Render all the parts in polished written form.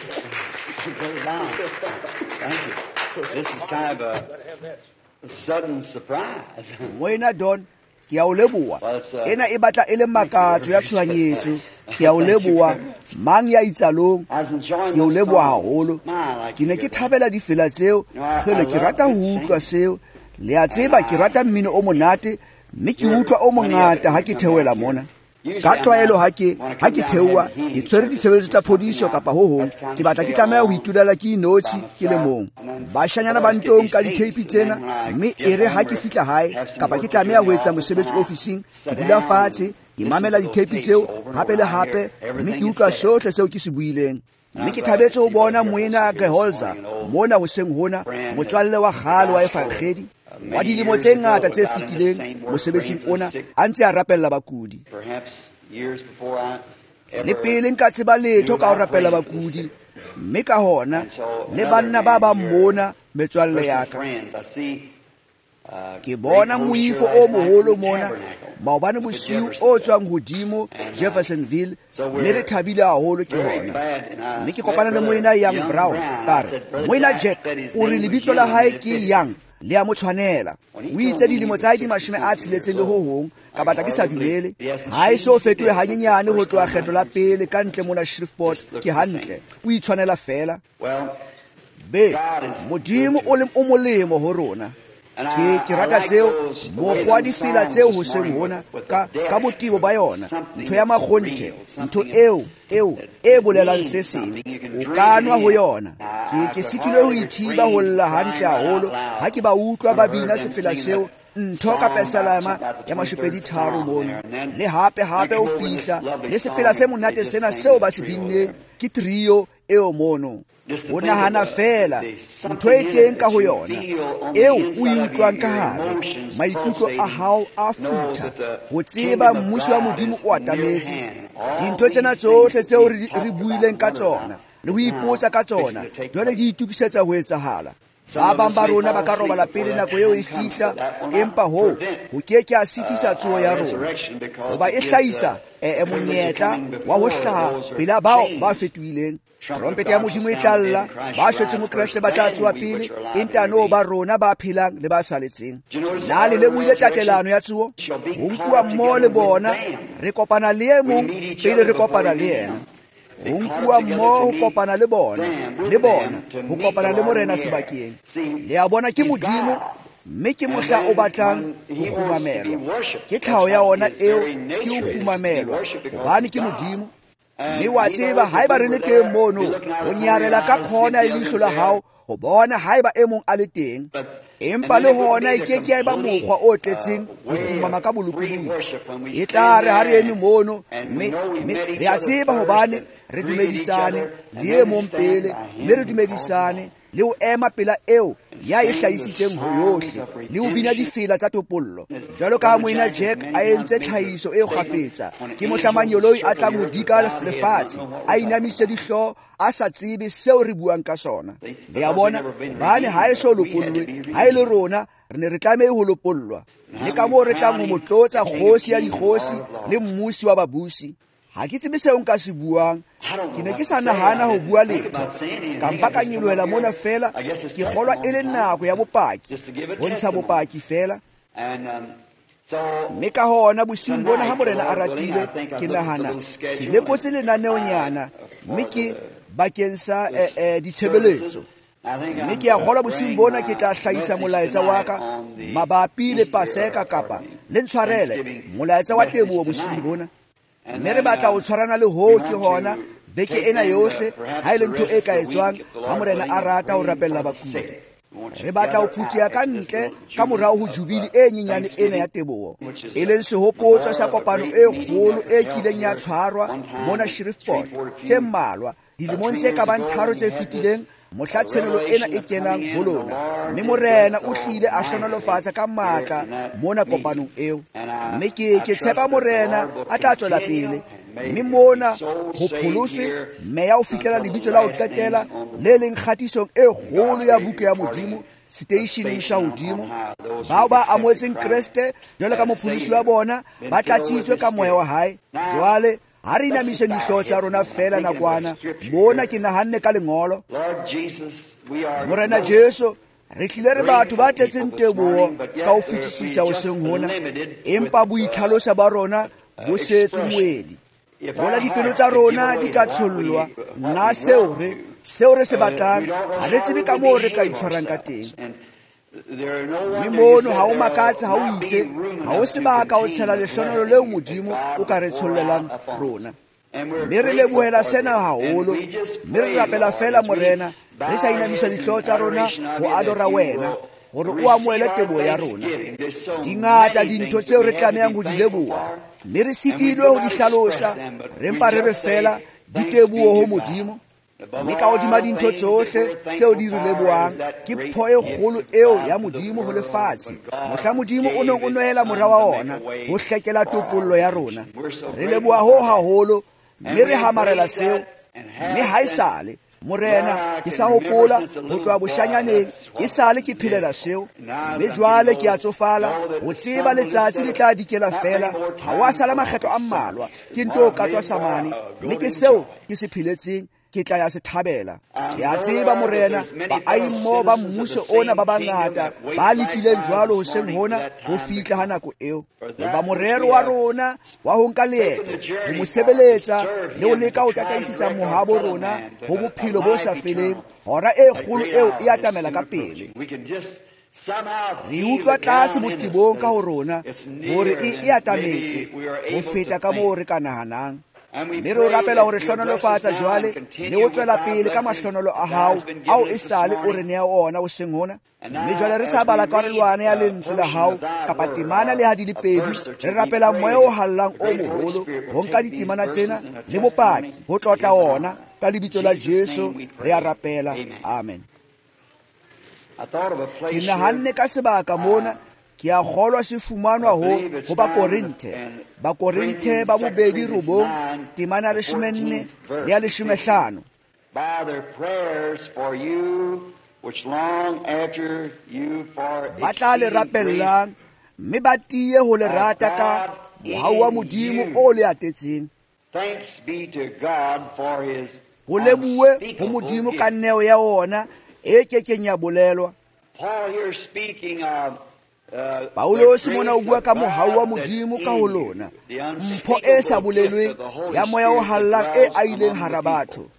Brother Don, thank you. This is kind of a sudden surprise. Moena Don, ke a o leboha. Ena e batla e le makatso ya tshohanyetso. Ke a o leboha. Mang ya itsalong, ke o leboha haholo. Ke ne ke thabela difela tseo. Kgele, ke rata ho utlwa seo. Le a tseba ke rata mmino o monate, mme ke utlwa o mongata ha ke theohela mona. Ka tlwaelo ha ke theoha, ke tshwere ditshebeletso tsa phodiso kapa ho hong, ke batla ke tlameha ho itulela ke inotshi ke le mong. Bashanyana ba ntong ka ditheipi tsena, mme e re ha ke fihla hae kapa ke tlameha ho etsa mosebetsi ofising, ke dula fatshe, ke mamela ditheipi tseo hape le hape, mme ke utlwa sohle seo ke se buileng. Mme ke thabetse ho bona moena Geholzer mona hoseng hona, motswalle wa kgale wa Evangedi wa dilemo tse ngata tse fetileng mosebetsing ona, a ntse a rapella bakudi. Le pele nka tseba letho ka ho rapella bakudi, mme ka hona le banna ba bang mona metswalle ya ka. Ke bona moifo o moholo mona maobane bosiu o tswang hodimo Jeffersonville, mme re thabile haholo ke hona. Mme ke kopana le moena Young Brown, ka re, moena Jack o re lebitso la hae ke Young, le a mo tshwanela. O itse dilemo tsa hae di 60 le ho hong, ka batla ke sa dumele. Ha e so fetohe hanyenyane ho tloha kgetlo la pele ka ntle mona Shreveport, ke hantle, o itshwanela fela. Be, Modimo o molemo ho rona. Ke rata tseo, mokgwa wa difela tseo hoseng hona, ka botebo ba yona, ntho ya makgonthe, ntho eo e bolelang se seng, o ka nwa ho yona. Ke sitilwe ho ithiba ho lla hantle haholo ha ke ba utlwa ba bina sefela seo, ntho ka Pesalema ya 23 mono. Le hape hape o fihla le sefela se monate sena seo ba se binneng ke trio eo mono. O nahana fela ntho e teng ka ho yona eo o e utlwang ka hare, maikutlo a hao a futha ho tseba mmuso wa Modimo o atametse. Dintho tsena tsohle tseo re buileng ka tsona le ho ipotsa ka tsona jwale di itokisetsa ho etsahala. Ba bang ba rona ba ka robala pele nako eo e fihla, empa hoo ho ke ke a sitisa tsoho ya rona, hoba e hlahisa monyetla wa ho hlaha pela bao ba fetohileng. Trompete ya Modimo e tla lla, ba shwetseng ho Kreste ba tla tsoha pele, entano ba rona ba phelang le ba saletseng. Na le lemohile tatelano ya tsoho? Ho nkuwa mmoho le bona, re kopana le e mong pele re kopana le yena. Ho nkuwa mmoho ho kopana le bona, le bona ho kopana le Morena sebakeng. Le a bona ke Modimo, mme ke mohla o batlang ho kgumamelwa. Ke tlhaho ya ona eo, ke ho kgumamelwa, hobane ke Modimo. Mme wa tseba haeba re le teng mono, ho nyarela ka khona e leihlo la hao ho bona haeba e mong a le teng. Empa le hona e ke ke ya eba mokgwa o tletseng ho kgumama ka bolokolohi. E tla re ha re eme mono, mme re a tseba hobane re dumedisane le e mong pele, mme re dumedisane le ho ema pela eo ya e hlahisitseng ho yohle, le ho bina difela tsa topollo. Jwalo ka moena Jack a entse tlhahiso e kgafetsa, ke mohla manyoloi a tlang ho dika lefatshe, a inamisitse dihlooho, a sa tsebe seo re buang ka sona. Le a bona, hobane ha e so lopollwe, ha e le rona re ne re tlameha ho lopollwa. Le ka moo re tlang ho mo tlotsa kgosi ya dikgosi le mmusi wa babusi. Ha ke tsebe seo nka se buang, ke ne ke sa nahana ho bua letho. Ka mpa ka nyolohela mona fela, ke kgolwa e le nako ya bopaki, ho ntsha bopaki fela. Mme ka hona bosiung bona ha Morena a ratile, ke nahana ke lekotse lenaneonyana, mme ke bakeng sa ditshebeletso. Mme ke a kgolwa bosiung bona ke tla hlahisa molaetsa wa ka mabapi le Paseka, kapa le ntshwarele, molaetsa wa teboho bosiung bona. Mme re batla ho tshwarana le hoo ke hona beke ena yohle, ha e le ntho e ka etswang ha Morena a rata ho rapella bakudi. Re batla ho phutheha ka ntle ka morao ho jubile e nyenyane ena ya teboho, e leng sehopotso sa kopano e kgolo e kileng ya tshwarwa mona Shreveport tse mmalwa dilemong tse ka bang 3 tse fetileng, mohla tshenolo ena e kenang ho lona. Mme Morena o hlile a hlohonolofatsa ka matla mona kopanong eo. Mme ke tshepa Morena a tla tswela pele, mme mona ho pholoswe meya ho fihlela lebitso la ho qetela le leng kgatisong e kgolo ya buka ya Modimo seteisheneng sa hodimo. Bao ba amohetseng Kreste jwalo ka mopholosi wa bona ba tlatsitswe ka moya wa hae. Jwale Ha re inamiseng dihlooho tsa rona feela nakwana. Mona ke nahanne ka lengolo. Morena Jesu, re tlile re batho ba tletseng teboho ka ho fetisisa hoseng hona, empa boitlhalosa ba rona bo setse moedi. Hola dipelo tsa rona di ka tshollwa nna seo re se batlang, ha re tsebe ka moo re ka itshwarang ka teng. Mme mono ha o makatse ha o itse ha o sebaka o tshela lehlonolo leo Modimo o ka re tshollelang rona. Mme re lebohela sena haholo, mme re rapela feela Morena, re sa inamisa dihlooho tsa rona ho adora wena, hore o amohele teboho ya rona. Di ngata dintho tseo re tlamehang ho di leboha, mme re sitilwe ho di hlalosa, re mpa re re feela diteboho ho Modimo. Mme ka hodima dintho tsohle tseo di re lebohang ke pho e kgolo eo ya Modimo ho lefatshe, mohla Modimo o neng o noela mora wa ona ho hlekela topollo ya rona. Re leboha ho haholo, mme re hamarela seo. Mme haesale Morena, ke sa hopola ho tloha boshanyaneng, e sale ke phelela seo. Mme jwale ke a tsofala, ho tseba letsatsi le tla dikela feela, ha wa sala makgetlo a mmalwa, ke nto katwa samane. Mme ke seo ke se pheletseng, ke tla ya se thabela. Ke a tseba Morena, baahi ba mmuso ona ba bangata ba letileng jwalo hoseng hona ho fihla ha nako eo. Hoba morero wa rona wa ho nka leeto, ho mo sebeletsa le ho leka ho tataisetsa mohabo rona ho bophelo bo sa feleng, hora e kgolo eo e atamela ka pele. Re utlwa tlase botebong ka ho rona hore e atametse ho feta ka moo re ka nahanang. Mme re o rapela hore hlonolofatsa jwale le ho tswela pele ka mahlonolo a hao ao esale o re nea ona hoseng hona. Mme jwale re sa bala karolwana ya lentswe la hao kapa temana le ha di le pedi, re rapela moya o hallang o moholo ho nka ditemana tsena le bopaki ho tlotla ona ka lebitso la Jesu re a rapela. Amen. Ke nahanne ka sebaka mona, ke a kgolwa se fumanwa ho Bakorinthe. Bakorinthe ba bobedi 9, temana 14 le ya 15. Ba tla le rapellang mme ba tiye ho le rata ka mohau wa Modimo o le atetseng. Ho lebohe ho Modimo ka neo ya ona e kekeng ya bolelwa. Paulosi mona o bua ka mohau wa Modimo ka ho lona, mpho e sa bolelweng ya moya o hallang e aileng hara batho.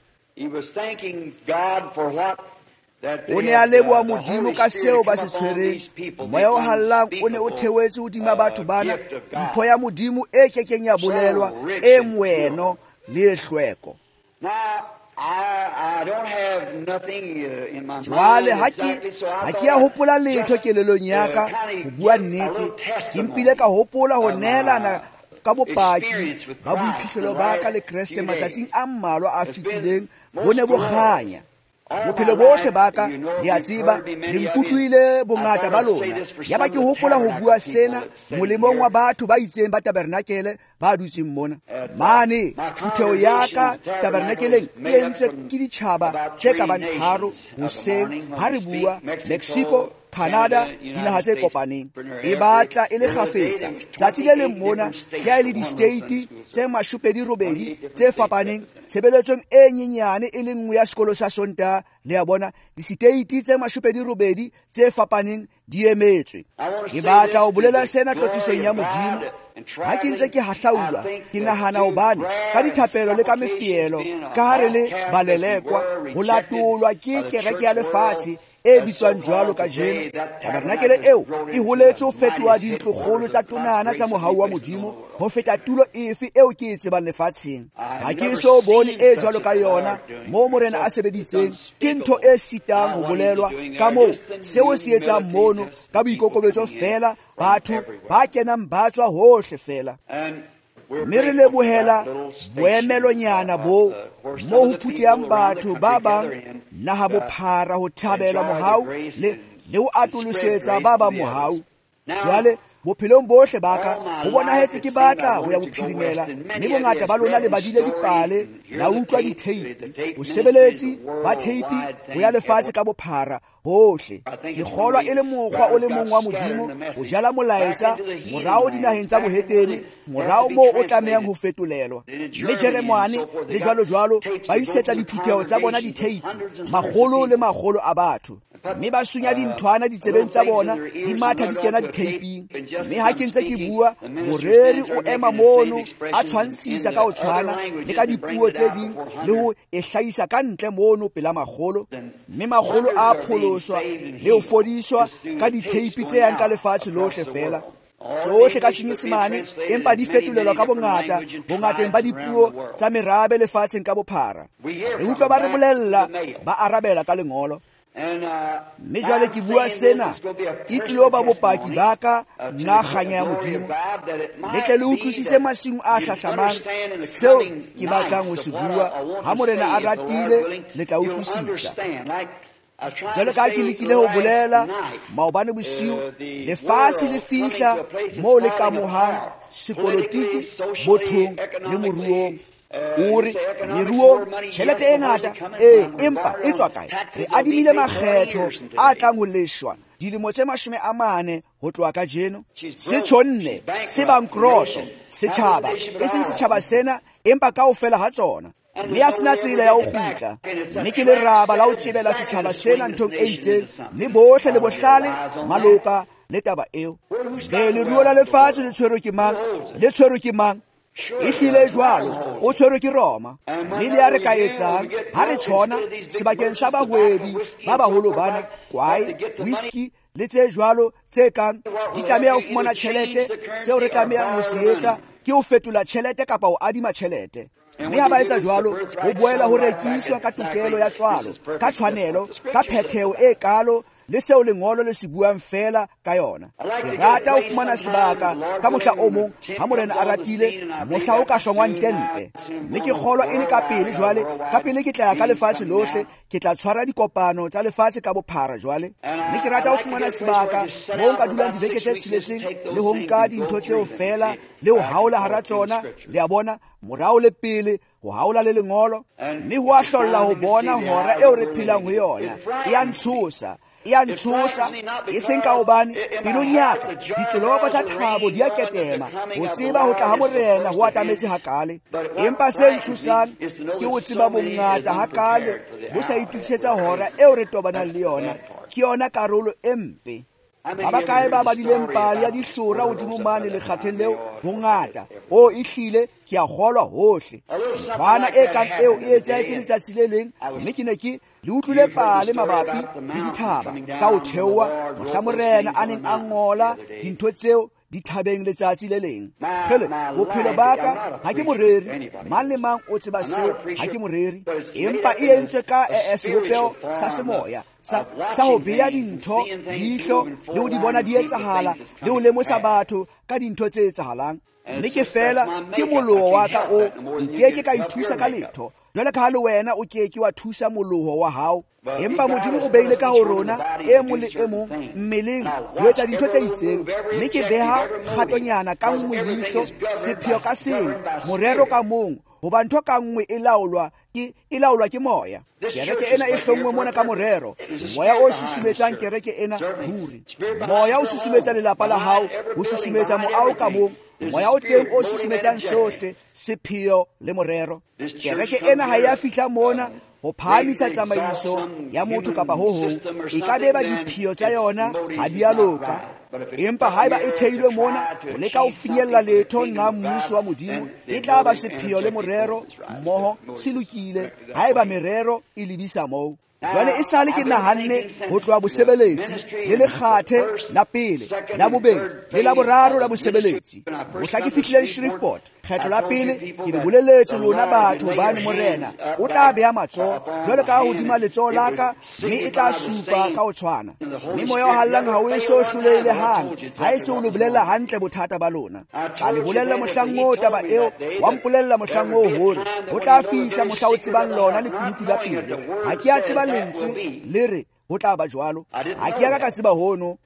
O ne a leboha Modimo ka seo ba se tshwereng. Moya o hallang o ne o theohetse hodima batho bana, mpho ya Modimo e kekeng ya bolelwa, e moeno le e hlweko. Jwale ha ke a hopola letho kelelong ya ka ho bua nnete, ke mpile ka hopola ho neelana ka bopaki ba boiphihlelo ba ka le Kreste matsatsing a mmalwa a fetileng, bo ne bo kganya. Bophelo bohle ba ka, le a tseba, le nkutlwile bongata ba lona. Yaba ke hopola ho bua sena molemong wa batho ba itseng ba tabernakele ba dutseng mona. Mane phutheho ya ka tabernakeleng e entswe ke ditjhaba tse ka bang 3 hoseng ha re bua Mexico, Canada, dinaha tse kopaneng. E batla e le kgafetsa. Tsatsi le leng mona ke ha e le di-state tse 28 tse fapaneng tshebeletsong e nyenyane e le nngwe ya sekolo sa Sontaha. Le a bona, di-state tse 28 tse fapaneng di emetswe. Ke batla ho bolela sena tlotlisong ya Modimo. Ha ke ntse ke hahlaulwa, ke nahana hobane ka dithapelo le ka mefielo, ka ha re le balelekwa, ho latolwa ke kereke ya lefatshe e bitswang jwalo kajeno. Tabernakele eo e holetse ho fetoha dintlokgolo tsa tonana tsa mohau wa Modimo ho feta tulo efe eo ke e tsebang lefatsheng. Ha ke eso bone e jwalo ka yona moo Morena a sebeditseng. Ke ntho e sitang ho bolelwa ka moo seo se etsang mono ka boikokobetso feela, batho ba kenang ba tswa hohle feela. Mme re lebohela boemelonyana boo moo ho phuthehang batho ba bang naha bophara ho thabela mohau le ho atolosetsa ba bang mohau. Jwale Bophelong bohle ba ka ho bonahetse ke batla ho ya bophirimela, mme bongata ba lona le badile dipale, la utlwa ditheipi, bosebeletsi ba theipi ho ya lefatshe ka bophara hohle. Ke kgolwa e le mokgwa o le mong wa Modimo ho jala molaetsa morao dinaheng tsa bohetene, morao moo o tlamehang ho fetolelwa. Mme Jeremane le jwalo jwalo ba isetsa diphutheho tsa bona ditheipi, makgolo le makgolo a batho, mme ba sunya dinthwana ditsebeng tsa bona, di matha di kena ditheiping. Mme ha ke ntse ke bua, moreri o ema mono a tshwantshisa ka ho tshwana le ka dipuo tse ding le ho e hlahisa ka ntle mono pela makgolo, mme makgolo a pholoswa le ho fodiswa ka ditheipi tse yang ka lefatshe lohle fela. Tsohle ka Senyesemane, empa di fetolelwa ka bongata bongateng ba dipuo tsa merabe lefatsheng ka bophara. Re utlwa ba re bolella, ba arabela ka lengolo. Mme jwale ke bua sena, e tlilo ba bopaki ba ka nna kganya ya Modimo. Le tle le utlwisise masiung a hlahlamang seo ke batlang ho se bua. Ha Morena a ratile, le tla utlwisisa. Jwale ka ke lekile ho bolela maobane bosiu, lefatshe le fihla moo le kamohang sepolotiki, bothong le moruong. O re meruo tjhelete e ngata, ee, empa e tswa kae? Re adimile makgetho a tlang ho leshwa dilemo tse 40 ho tloha kajeno. Se tjhonne, se bankroto setjhaba, e seng setjhaba sena, empa kaofela ha tsona. Mme a sena tsela ya ho kgutla. Mme ke leraba la ho tjebela setjhaba sena nthong e itseng, mme bohle le bohlale maloka le taba eo. Be leruo la lefatshe le tshwerwe ke mang? Le tshwerwe ke mang? E hlile jwalo, o tshwerwe ke Roma. Mme le ya re ka etsang ha re tjhona sebakeng sa bahwebi ba baholo bana, kwae, whisky le tse jwalo tse kang di tlameha ho fumana tjhelete. Seo re tlamehang ho se etsa ke ho fetola tjhelete kapa ho adima tjhelete. Mme ha ba etsa jwalo, ho boela ho rekiswa ka tokelo ya tswalo, ka tshwanelo, ka phetheho e kalo le seo lengolo le se buang fela ka yona. Ke rata ho fumana sebaka ka mohla o mong, ha Morena a ratile, mohla o ka hlongwang tente. Mme ke kgolwa e le ka pele jwale, ka pele ke tla ya ka lefatshe lohle, ke tla tshwara dikopano tsa lefatshe ka bophara jwale. Mme ke rata ho fumana sebaka moo nka dulang dibeke tse 6 le ho nka dintho tseo fela le ho haola hara tsona, le a bona, morao le pele, ho haola le lengolo. Mme ho a hlolla ho bona hora eo re phelang ho yona. E a ntshosa, e a ntshosa, e seng ka hobane pelong ya ka ditloloko tsa thabo di a ketema ho tseba ho tla ha Morena ho atametse hakale. Empa se ntshosang ke ho tseba bongata hakale bo sa itokisetsa hora eo re tobanang le yona. Ke yona karolo e mpe. Ba bakae ba badileng pale ya dihlora hodimo mane lekgatheng leo? Bongata. O ehlile ke a kgolwa hohle. Nthwana e kang eo e etsahetse letsatsi le leng, mme ke ne ke le utlwile pale mabapi le dithaba ka ho theoha mohla Morena a neng a ngola dintho tseo dithabeng letsatsi le leng. Kgele, bophelo ba ka ha ke moreri, mang le mang o tseba seo, ha ke moreri, empa e entswe ka sebopeho sa semoya sa ho bea dintho leihlo le ho di bona di etsahala le ho lemosa batho ka dintho tse etsahalang. Mme ke fela ke moloho wa ka o nkeke ka ithusa ka letho, jwale ka ha le wena o ke ke wa thusa moloho wa hao. Empa Modimo o beile ka ho rona e mong le e mong mmeleng ho etsa dintho tse itseng. Mme ke beha kgatonyana ka nngwe leihlo, sepheo ka seng, morero ka mong, hoba ntho ka nngwe e laolwa ke moya. Kereke ena e hlonngwe mona ka morero. Moya o susumetsang kereke ena ruri. Moya o susumetsa lelapa la hao, o susumetsa moaho ka mong. Moya o teng o susumetsang sohle, sepheo le morero. Kereke ena ha ya fihla mona ho phahamisa tsamaiso ya motho kapa ho hong. E ka be ba dipheo tsa yona ha di a loka. Empa haeba e theilwe mona ho leka ho finyella letho nqa mmuso wa Modimo, e tla ba sepheo le morero mmoho se lokile haeba merero e lebisa moo. Jwale e sale ke nahanne ho tloha bosebeletsi le lekgathe la pele, la bobedi le la boraro la bosebeletsi. Mohla ke fihlileng Shreveport kgetlo la pele, ke le boleletse lona batho hobane Morena o tla beha matsoho jwale ka hodima letsoho la ka, mme e tla supa ka ho tshwana. Mme moya o hallang ha o eso hlolehile hang, ha e se o le bolella hantle bothata ba lona. Ka le bolella mohlang oo taba eo, wa mpolella mohlang oo hore ho tla fihla mohla o tsebang lona lekunutu la pelo. Ha ke a tseba lentswe le re ho tla ba jwalo. Ha ke ya ka tseba hono.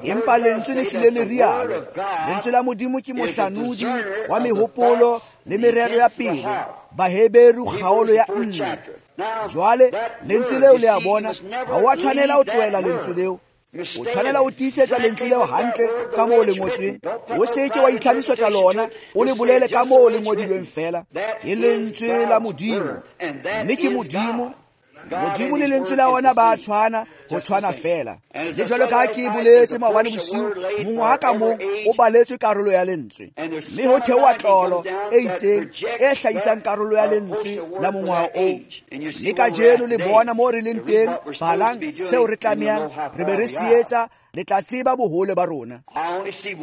Empa lentswe le hlile le rialo. Lentswe la Modimo ke mohlanodi wa mehopolo le merero ya pele. Baheberu kgaolo ya 4. Jwale lentswe leo le a bona, ha wa tshwanela ho tlohela lentswe leo. O tshwanela ho tiisetsa lentswe leo hantle ka moo le ngotsweng. O se ke wa itlhalosetsa lona, o le bolele ka moo le ngodilweng fela. Ke lentswe la Modimo, mme ke Modimo. Modimo le lentswe la ona ba tshwana, ho tshwana fela. Le jwalo ka ha ke boletse maobane bosiu, mongwaha ka mong o baletswe karolo ya lentswe. Mme ho theoha tlolo e itseng e hlahisang karolo ya lentswe la mongwaha oo. Mme kajeno le bona moo re leng teng, balang seo re tlamehang re be re se etsa, le tla tseba bohole ba rona. Ke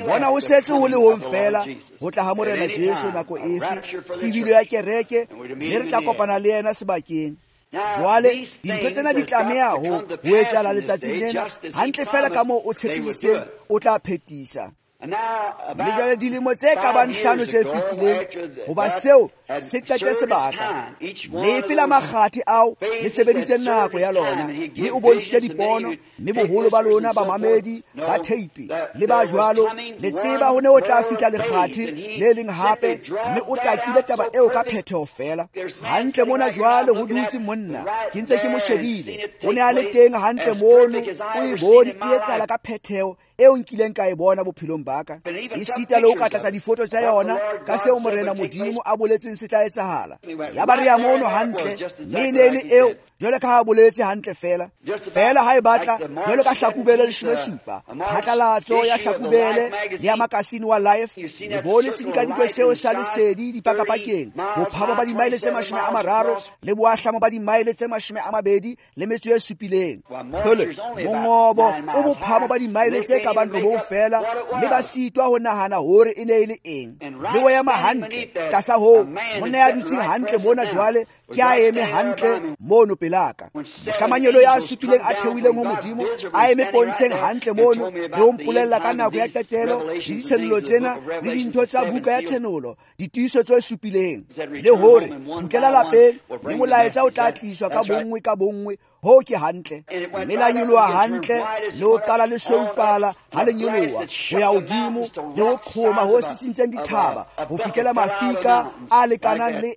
bona ho setse ho le hong fela ho tla ha Morena Jesu nako efe, hlwibilo ya kereke, mme re tla kopana le yena sebakeng. Jwale dintho tsena di tlameha ho etsahala letsatsing lena hantle fela ka moo o tshepisitseng o tla phetisa. Mme jwale dilemo tse ka bang 5 tse fetileng, hoba seo se qete sebaka, lefe la makgathe ao le sebeditse nako ya lona, mme o bontshitse dipono, mme boholo ba lona bamamedi ba theipi le ba jwalo, le tseba ho ne ho tla fihla lekgathe le leng hape, mme o takile taba eo ka phetheho fela. Hantle mona jwale ho dutse monna, ke ntse ke mo shebile, o ne a le teng hantle mono, o e bone e etsahala ka phetheho eo nkileng ka e bona bophelong ba ka. Esita le ho ka tlatsa difoto tsa yona ka seo Morena Modimo a boletseng se tla etsahala. Ya ba re ya mono hantle, mme e ne e le eo jwalo ka ha boletse hantle fela. Fela ha e batla jwalo ka Hlakubele 17, phatlalatso ya Hlakubele le ya makasine wa Life, le bone sedikadikwe seo sa lesedi dipakapakeng, bophabo ba dimaele tse 30 le boahlamo ba dimaele tse 27. Hlole mongobo o bophabo ba dimaele tse ka bang 9 fela, mme ba sitwa ho nahana hore e ne e le eng. Le o ema hantle tlasa hoo, monna ya dutseng hantle mona jwale ke a eme hantle mono pelaka. Mohla manyelo ya supileng a theohileng ho Modimo a eme pontsheng hantle mono le ho mpolella ka nako ya qetelo le ditshenolo tsena le dintho tsa buka ya tshenolo, ditiiso tse supileng, le hore kgutlela lapeng mme molaetsa o tla tliswa ka bonngwe ka bonngwe. Ho ke hantle, mme la nyoloha hantle le ho qala le sweufala ha le nyoloha ho ya hodimo le ho qhoma ho sisintseng dithaba ho fihlela mafika a lekanang le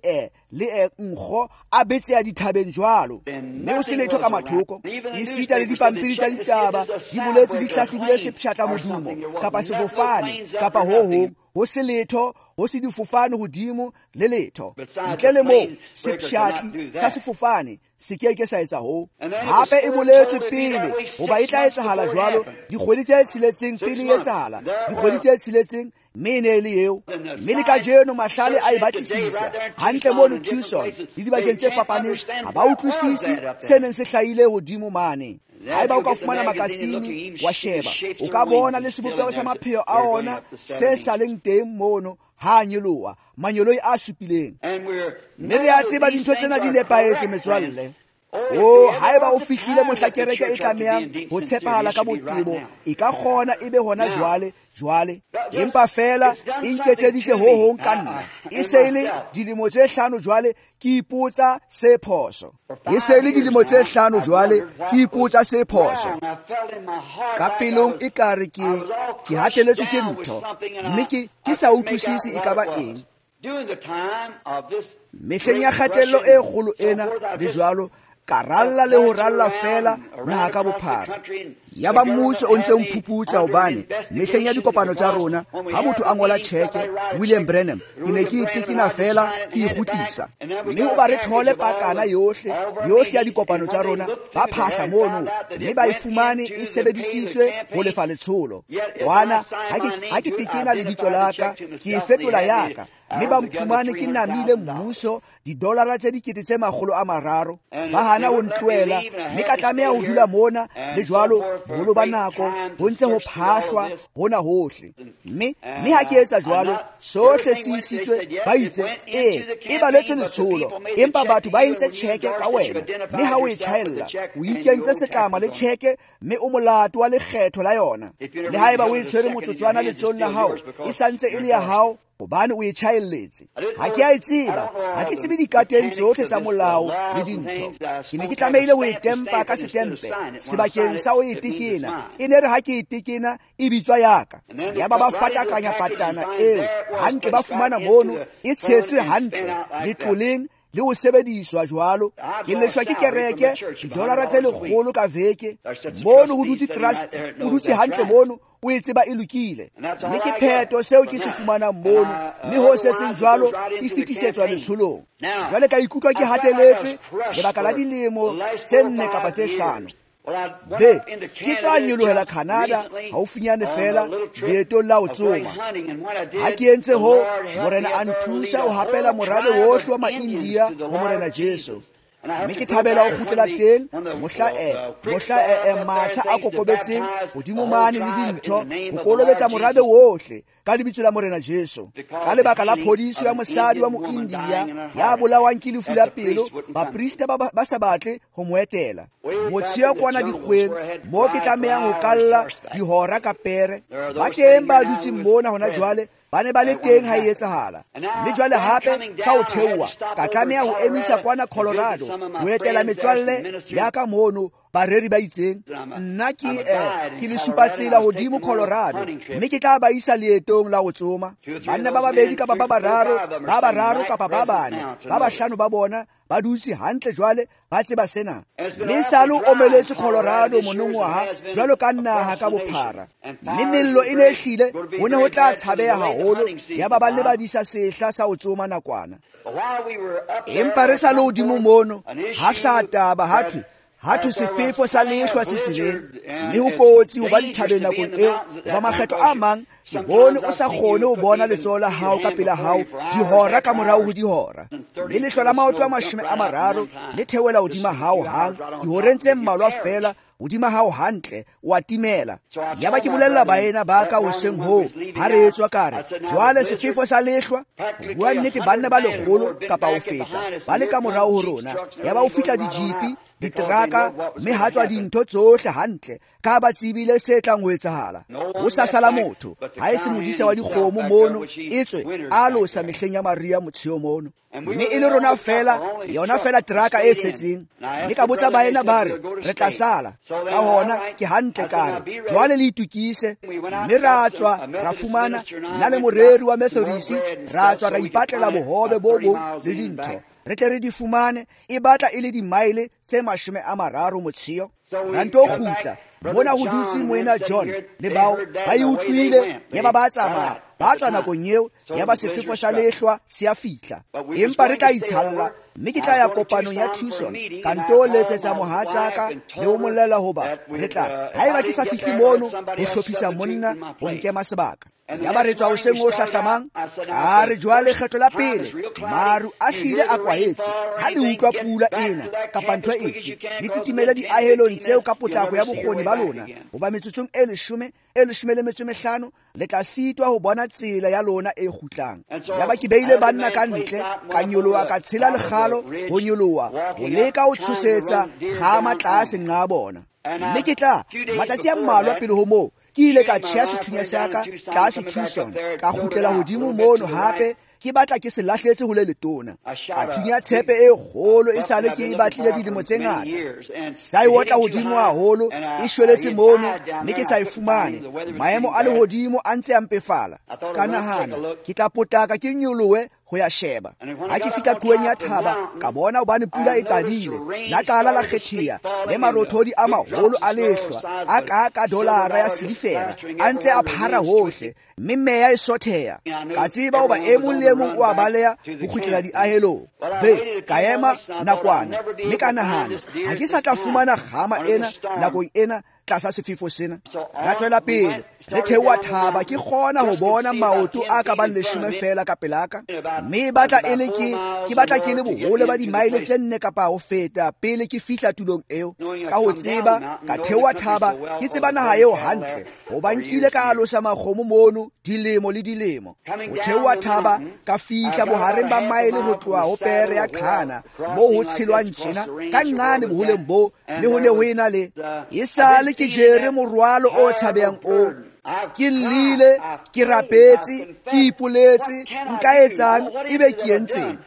le nkgo a betseya dithabeng jwalo, mme ho se letho ka mathoko. Esita le dipampiri tsa ditaba di boletse di hlahlobile sepshatla modumo kapa sefofane kapa ho hong, ho se letho, ho se difofane hodimo le letho. Ntle le moo sepshatli sa sefofane se ke ke sa etsa ho. Hape e boletswe pele hoba e tla etsahala jwalo dikgwedi tse 6 pele e etsahala, dikgwedi tse 6, mme e ne e le eo. Mme le kajeno mahlale a e batlisisa hantle mono Tucson le dibakeng tse fapaneng, ha ba utlwisise se neng se hlahile hodimo mane. Haeba o ka fumana makasine wa sheba, o ka bona le sebopeho sa mapheo a ona se sa leng teng mono ha a nyoloha, manyoloi a supileng. Mme re a tseba dintho tsena di nepahetse metswalle. O haeba o fihlile mohla kereke e tlamehang ho tshepahala ka botebo, e ka kgona e be hona jwale jwale. Empa fela e nketseditse ho hong ka nna. E se e le dilemo tse 5 jwale ke ipotsa se phoso. E se e le dilemo tse 5 jwale ke ipotsa se phoso. Ka pelong e ka re ke hateletswe ke ntho, mme ke sa utlwisise e ka ba eng. Mehleng ya kgatello e kgolo ena le jwalo, ka ralla le ho ralla fela naha ka bophara. Ya ba mmuso o ntse o mphuputsa hobane mehleng ya dikopano tsa rona, ha motho a ngola tjheke William Branham, ke ne ke itekina fela ke e kgutlisa. Mme hoba re thole pakana yohle yohle ya dikopano tsa rona, ba phahla mono mme ba e fumane e sebedisitswe ho lefa letsholo. Kwana ha ke tekena lebitso la ka, ke e fetola ya ka, mme ba mphumane ke namile mmuso didolara tse 300,000. Ba hana ho ntlohela, mme ka tlameha ho dula mona le jwalo boholo ba nako ho ntse ho phahlwa hona hohle. Mme ha ke etsa jwalo, sohle se isitswe, ba itse ee e baletswe letsholo, empa batho ba entse tjheke ka wena, mme ha o e tjhaella o ikentse setlama le tjheke, mme o molato wa lekgetho la yona. Le haeba o e tshwere motsotswana letsohong la hao, e santse e le ya hao. hobane o e tjhaelletse. Ha ke a e tseba, ha ke tsebe dikateng tsohle tsa molao le dintho. Ke ne ke tlamehile ho e tempa ka setempe sebakeng sa ho e tekena. E ne re ha ke e tekena e bitswa yaka. Yaba ba fatakanya patana eo hantle, ba fumana mono e tshetswe hantle letloleng le ho sebediswa jwalo. Ke leshwa ke kereke didolara tse 100 ka veke. Mono ho dutse trust, o dutse hantle mono, o e tseba e lokile. Mme ke pheto seo ke se fumanang mono, mme ho setseng jwalo e fetisetswa letsholong. Jwale ka ikutlwa ke hateletswe lebaka la dilemo tse 4 kapa tse 5. Be, ke tswa nyolohela Canada haufinyane fela leetong la ho tsoma. Ha ke entse ho, Morena a nthusa ho hapela morabe wohle wa ma-India ho Morena Jesu. Mme ke thabela ho kgutlela teng mohla matsha a kokobetseng hodimo mane le dintho ho kolobetsa morabe wohle ka lebitso la Morena Jesu. Ka lebaka la phodiso ya mosadi wa mo-India ya bolawang ke lefu la pelo, baprista ba sa batle ho mo etela. Motsheo kwana dikgweng moo ke tlamehang ho kalla dihora ka pere. Ba teng ba dutseng mona hona jwale ba ne ba le teng ha e etsahala. Mme jwale hape ka ho theoha ka tlameha ho emisa kwana Colorado ho etela metswalle ya ka mono, bareri ba itseng. Nna ke le supa tsela hodimo Colorado, mme ke tla ba isa leetong la ho tsoma. Banna ba babedi kapa ba bararo, ba bararo kapa ba bane, ba bahlano ba bona ba dutse hantle jwale, ba tseba sena. Mme sale o omeletse Colorado monongwaha jwalo ka naha ka bophara. Mme mello e ne e hlile, ho ne ho tla tshabeha haholo, yaba ba lebadisa sehla sa ho tsoma nakwana. Empa re sa le hodimo mono, ha hlaha taba ha thwe sefefo sa lehlwa se tseleng, mme ho kotsi ho ba dithabeng nakong eo, hoba makgetlo a mang ke bone o sa kgone ho bona letsoho la hao ka pela hao dihora ka morao ho dihora. Mme lehlwa la maoto a 30 le theohela hodima hao hang dihoreng tse mmalwa fela, hodima hao hantle, o a timela. Yaba ke bolella baena ba ka hoseng hoo ha re etswa ka re, jwale sefefo sa lehlwa, ho bua nnete banna ba 100 kapa ho feta ba le ka morao ho rona. Yaba o fihla dijipi, diteraka, mme ha tswa dintho tsohle hantle, ka ba tsebile se tlang ho etsahala. Ho sa sala motho ha e se modisa wa dikgomo mono, etswe a losa mehleng ya Maria motsheo mono. Mme e le rona fela, yona fela teraka e setseng. Mme ka botsa baena ba re, re tla sala. Ka hona ke hantle ka re, jwale le itukise. Mme ra tswa ra fumana nna le moreri wa Methodist, ra tswa ra ipatlela bohobe bo bong le dintho, re tle re di fumane. E batla e le dimaele tse 30 motsheo. Ra nto kgutla mona ho dutse moena John le bao ba e utlwile, yaba ba tsamaya ba tswa nakong eo, yaba sefefo sa lehlwa se a fihla. Empa re tla itshalla, mme ke tla ya kopanong ya Tucson, ka nto letsetsa mohatsaka le ho molela hoba re tla, haeba ke sa fihle mono ho hlophisa monna ho nkema sebaka. Yaba re tswa hoseng o hlahlamang, ka re jwale kgetlo la pele maru a hlile a kwahetse. Ha le utlwa pula ena kapa ntho efe, le titimele diahelong tseo ka potlako ya bokgoni ba lona, hoba metsotsong e 15 le tla sitwa ho bona tsela ya lona e kgutlang. Yaba ke beile banna ka ntle, ka nyoloha ka tshela lekgalo ho nyoloha ho leka ho tshosetsa kgama tlase nqa bona. Mme ke tla matsatsi a mmalwa pele ho moo, ke ile ka tjheha sethunya sa ka tlase Tucson, ka kgutlela hodimo mono hape, ke batla ke se lahletse ho le letona. Ka thunya tshepe e kgolo e sale ke e batlile dilemo tse ngata. Sa e otla hodimo haholo, e shweletse mono, mme ke sa e fumane. Maemo a lehodimo a ntse a mpefala. Ka nahana, ke tla potlaka ke nyolohe ho ya sheba. Ha ke fihla qhoweng ya thaba, ka bona hobane pula e qadile. La qala la kgetheha, le marothodi a maholo a lehlwa a ka dolara ya silifera a ntse a phara hohle, mme meya e sotheha. Ka tseba hoba e mong le e mong o a baleha ho kgutlela diahelong. Be, ka ema nakwana, mme ka nahana, ha ke sa tla fumana kgama ena nakong ena tlasa sefefo sena. Ra tswela pele re theoha thaba, ke kgona ho bona maoto a ka bang 10 fela ka pelaka, mme batla e le ke batla ke le bohole ba dimaele tse 4 kapa ho feta pele ke fihla tulong eo. Ka ho tseba ka theoha thaba, ke tseba naha eo hantle, hoba nkile ka alosa makgomo mono dilemo le dilemo. Ho theoha thaba ka fihla bohareng ba maele ho tloha ho pere ya qhana moo ho tshelwang tjena ka nqane boholeng bo, mme ho ne ho ena le e sale ke jere morwalo o tshabehang o Ke llile, ke rapetse, ke ipoletse, nka etsang ebe ke entseng?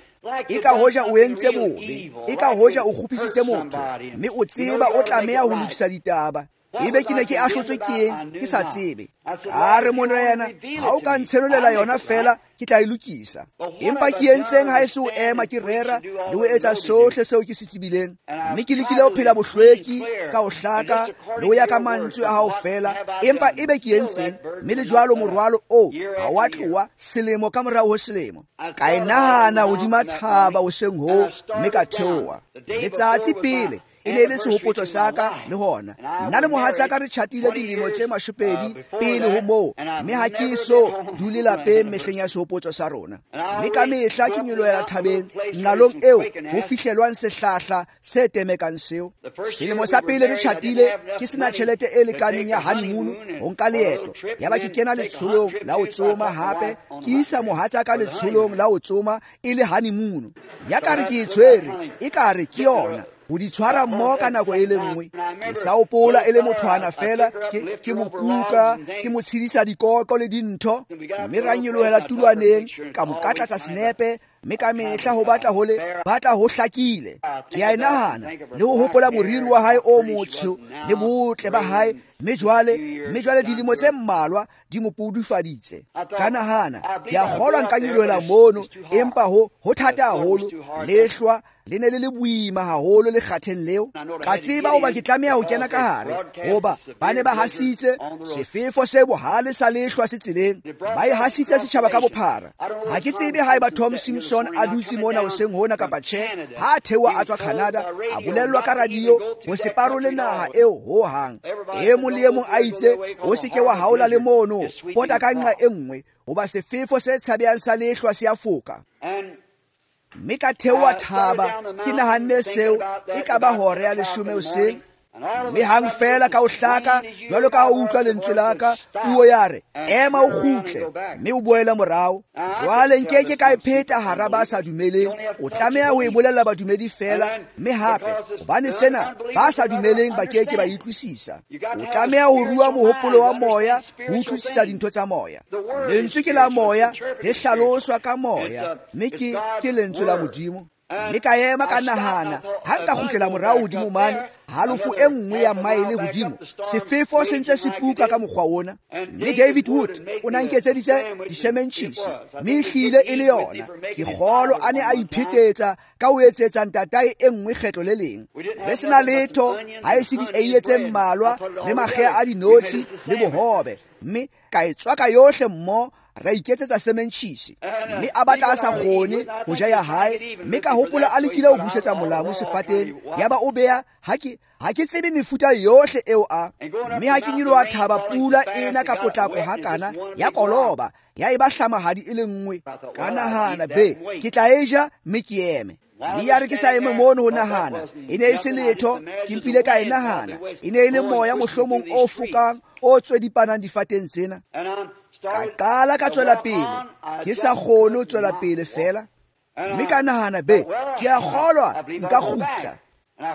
E ka hoja o entse bobe, e ka hoja o kgopisitse motho, mme o tseba o tlameha ho lokisa ditaba. Ebe ke ne ke ahlotswe ke eng, ke sa tsebe. A re Morena, ha o ka ntshenolela yona fela, ke tla e lokisa. Empa ke entseng ha e se ho ema ke rera le ho etsa sohle seo ke se tsebileng. Mme ke lekile ho phela bohlweki ka ho hlaka le ho ya ka mantswe a hao fela, empa ebe ke entseng, mme le jwalo morwalo oo ha wa tloha selemo ka morao ho selemo. Ka e nahana hodima thaba hoseng hoo, mme ka theoha. Letsatsi pele e ne e le sehopotso sa ka le hona. Nna le mohatsaka re tjhatile dilemo tse 20 pele ho moo, mme ha ke so dule lapeng mehleng ya sehopotso sa rona. Mme ka mehla ke nyolohela thabeng nqalong eo ho fihlelwang sehlahla se temekang seo. Selemo sa pele re tjhatile ke sena tjhelete e lekaneng ya honeymoon ho nka leeto. Yaba ke kena letsholong la ho tsoma hape, ke isa mohatsaka letsholong la ho tsoma e le honeymoon. Ya ka re ke e tshwere, e ka re ke yona. Ho di tshwara mmoho ka nako e le nngwe. Ke sa hopola e le mothwana fela, ke mo kuka, ke mo tshedisa dikoko le dintho, mme ra nyolohela tulwaneng, ka mo katlatsa senepe, mme ka mehla ho batla ho le batla ho hlakile. Ke a e nahana le ho hopola moriri wa hae o motsho le botle ba hae, mme jwale dilemo tse mmalwa di mo pudufaditse. Ka nahana, ke a kgolwa nka nyolohela mono, empa ho thata haholo, lehlwa le ne le le boima haholo lekgatheng leo. Ka tseba hoba ke tlameha ho kena ka hare, hoba ba ne ba hasitse sefefo se bohale sa lehlwa se tseleng, ba e hasitse setjhaba ka bophara. Ha ke tsebe haeba Tom Simpson a dutse mona hoseng hona kapa tjhe. Ha a theoha a tswa Canada, a bolellwa ka radio ho se parole naha eo ho hang. E mong le e mong a itse, o se ke wa haola le mono, pota ka nqa e nngwe, hoba sefefo se tshabehang sa lehlwa se a foka. Mme ka theoha thaba, ke nahanne seo e ka ba hora ya 10 hoseng. Mme hang fela ka o hlaka, jwalo ka ha o utlwa lentswe la ka, puo ya re, ema o kgutle, mme o boele morao. Jwale nke ke ka e pheta hara ba sa dumeleng, o tlameha ho e bolella badumedi fela, mme hape, hobane sena ba sa dumeleng ba ke ke ba utlwisisa. O tlameha ho rua mohopolo wa moya, ho utlwisisa dintho tsa moya. Lentswe ke la moya, le hlaloswa ka moya, mme ke lentswe la Modimo. Mme ka ema ka nahana, ha nka kgutlela morao hodimo mane, halofo e nngwe ya maele hodimo, sefefo se ntse se puka ka mokgwa ona. Mme David Wood o na nketseditse disementjhisi, mme ehlile e le yona. Ke kgolo a ne a iphetetsa ka ho etsetsa ntatae e nngwe kgetlo le leng. Re sena letho ha e se dieiye tse mmalwa le makgea a dinotshi le bohobe, mme ka e tswaka yohle mmoho, ra iketsetsa sementjhisi. Mme a batla a sa kgone ho ja ya hae, mme ka hopola a lekile ho busetsa molamu sefateng, yaba o beya ha ke tsebe mefuta yohle eo a. Mme ha ke nyoloha thaba, pula ena ka potlako hakana ya koloba, ya eba hlamahadi e le nngwe. Ka nahana, be ke tla e ja mme ke eme. Mme ya re ke sa eme mono ho nahana, e ne e se letho, ke mpile ka e nahana, e ne e le moya mohlomong o fokang o tswedipanang difateng tsena. Ka qala ka tswela pele, ke sa kgone ho tswela pele fela. Mme ka nahana, be ke a kgolwa nka kgutla.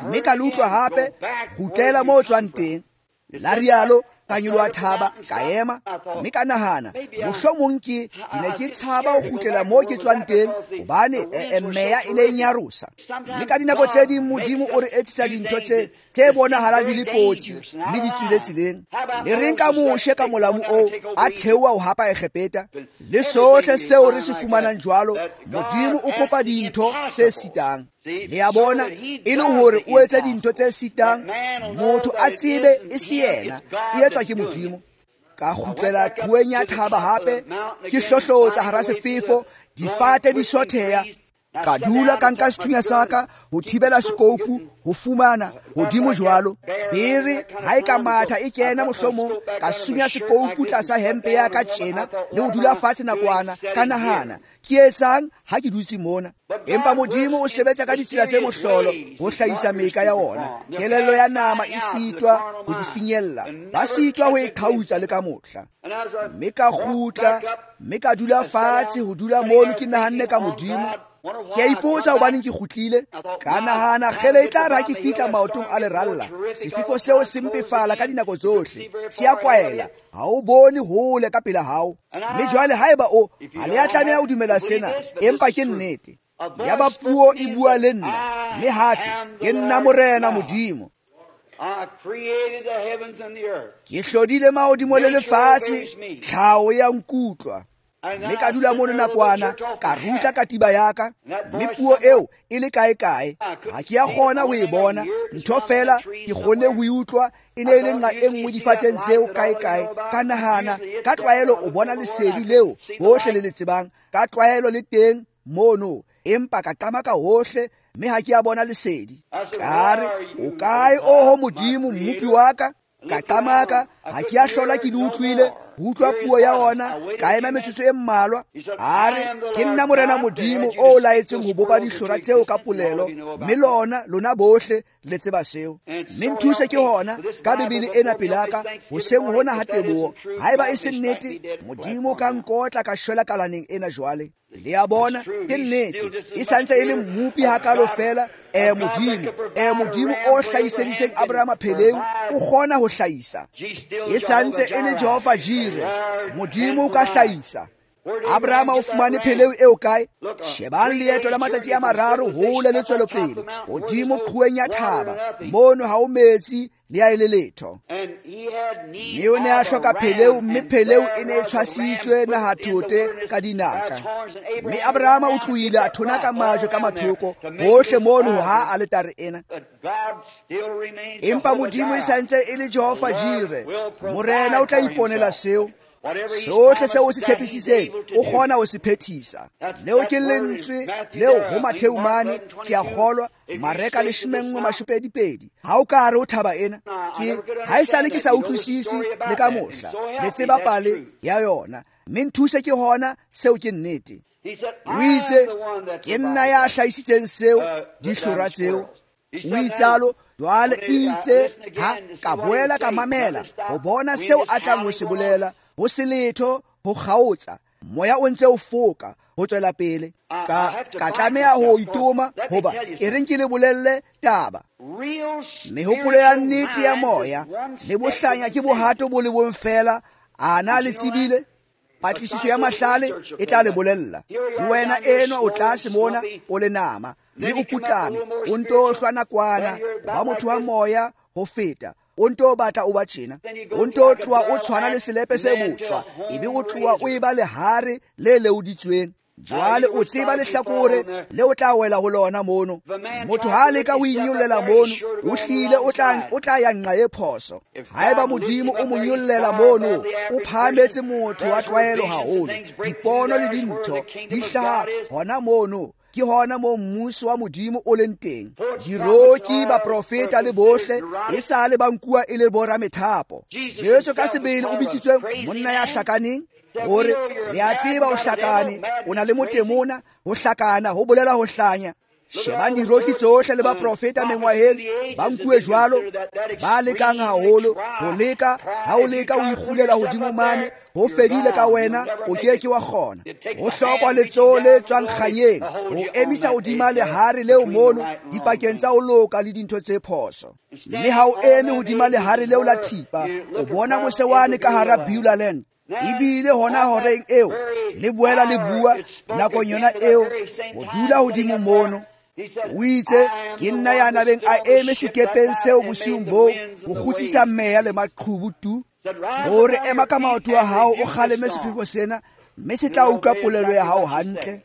Mme ka le utlwa hape, kgutlela moo o tswang teng. La rialo, ka nyoloha thaba, ka ema, mme ka nahana, mohlomong ke ne ke tshaba ho kgutlela moo ke tswang teng, hobane meya e ne e nyarosa. Mme ka dinako tse ding Modimo o re etsisa dintho tse bonahalang di le kotsi, mme di tswile tseleng. Le reng ka Moshe ka molamu oo a theoha ho hapa Egepeta, le sohle seo re se fumanang jwalo, Modimo o kopa dintho tse sitang. Le a bona, e le hore o etse dintho tse sitang, motho a tsebe e se yena, e etswa ke Modimo. Ka kgutlela qhoweng ya thaba hape, ke hlohlotsa hara sefefo, difate di sotheha. Ka dula ka nka sethunya sa ka ho thibela sekoupu ho fumana hodimo jwalo. Bere ha e ka matha e kena mohlomong, ka sunya sekoupu tlasa hempe ya ka tjena le ho dula fatshe nakwana. Ka nahana, ke etsang ha ke dutse mona? Empa Modimo o sebetsa ka ditsela tse mohlolo ho hlahisa meka ya ona. Kelello ya nama e sitwa ho di finyella, ba sitwa ho e qhautsa le ka mohla. Mme ka kgutla, mme ka dula fatshe ho dula mono ke nahanne ka Modimo. Ke a ipotsa hobaneng ke kgutlile. Ka nahana kgele e tla re ha ke fihla maotong a leralla, sefefo seo se mpefala ka dinako tsohle, se a kwaela, ha o bone hole ka pela hao. Mme jwale haeba o ha le a tlameha ho dumela sena, empa ke nnete. Yaba puo e bua le nna, mme hape ke nna Morena Modimo. Ke hlodile mahodimo le lefatshe, tlhaho ya nkutlwa. Mme ka dula mono nakwana, ka rutla katiba ya ka, mme puo eo e le kae-kae. Ha ke a kgona ho e bona, ntho feela ke kgonne ho e utlwa, e ne e le nqa e nngwe difateng tseo kae-kae. Ka nahana, ka tlwaelo o bona lesedi leo bohle le le tsebang, ka tlwaelo le teng mono, empa ka qamaka hohle, mme ha ke a bona lesedi. Ka re, o kae oho Modimo mmopi wa ka? Ka qamaka, ha ke a hlola ke le utlwile, ho utlwa puo ya ona, ka ema metsotso e mmalwa. A re, ke nna Morena Modimo o laetseng ho bopa dihlora tseo ka polelo, mme lona bohle le tseba seo. Mme nthuse ke hona ka Bibele ena pelaka, hoseng hona ha teboho. Haeba e se nnete, Modimo ka nkotla ka shwela kalaneng ena jwale. Le a bona, ke nnete, e santse e le mmopi hakalo fela. Modimo, Modimo o hlahiseditseng Abrahama pheleu, o kgona ho hlahisa. E santse e le Jehova Jire, Modimo o ka hlahisa. Abrahama o fumane pheleu eo kae? Shebang leeto la matsatsi a mararo hole le tswelopele, hodimo qhoweng ya thaba, mono ha o metsi le a e le letho. Mme o ne a hloka pheleu, mme pheleu e ne e tshwasitswe nahathote ka dinaka. Mme Abrahama o tlohile a thonaka majwe ka mathoko hohle mono ha aletare ena. Empa Modimo e santse e le Jehova Jire, Morena o tla iponela seo. Sohle seo o se tshepisitseng, o kgona ho se phethisa. Leo ke lentswe leo ho Matheu mane, ke a kgolwa, Mareka 11:22. Ha o ka re o thaba ena, ke ha esale ke sa utlwisise le ka mohla. Le tseba pale ya yona, mme nthuse ke hona seo ke nnete. O itse, ke nna ya hlahisitseng seo, dihlora tseo. O itsalo, jwale itse ha ka boela ka mamela ho bona seo a tlang ho se bolela. Ho se letho, ho kgaotsa, moya o ntse o foka ho tswela pele. Ka tlameha ho itoma, hoba e reng ke le bolelle taba. Mehopolo ya nnete ya moya le bohlanya ke bohato bo le bong fela. A na le tsebile? Patlisiso ya mahlale e tla le bolella. Ke wena enwa o tlase mona o le nama, mme o putlame, o nto hlwa nakwana, ba motho wa moya ho feta. O nto batla o ba tjena, o nto tloha o tshwana le selepe se botswa, ebe o tloha o eba lehare le leoditsweng. Jwale o tseba lehlakore le o tla wela ho lona mono. Motho ha leka ho inyollela mono, o hlile o tla ya nqa e phoso. Haeba Modimo o mo nyollela mono, o phahametse motho wa tlwaelo haholo. Dipono le dintho di hlaha hona mono. Ke hona moo mmuso wa Modimo o leng teng. Diroki, baprofeta le bohle e sa le ba nkuwa e le boramethapo. Jesu ka sebele o bitsitswe monna ya hlakaneng, hore re a tseba o hlakane, o na le motemona, ho hlakana ho bolela ho hlanya. Shebang diroki tsohle le baprofeta mengwaheng ba nkuwe jwalo, ba lekang haholo ho leka. Ha o leka o ikgulela hodimo mane, ho fedile ka wena, o ke ke wa kgona. Ho hlokwa letsoho le tswang kganyeng ho emisa hodima lehare leo mono dipakeng tsa ho loka le dintho tse phoso. Mme ha o eme hodima lehare leo la thipa, o bona mose wane ka hara Beulah Land. Ebile hona horeng eo le boela le bua nakong yona eo ho dula hodimo mono. O itse, ke nna ya nabeng a eme sekepeng seo bosiung boo ho kgutsisa meya le maqhubu tu. Hore ema ka maoto a hao o kgaleme sefefo sena, mme se tla utlwa polelo ya hao hantle.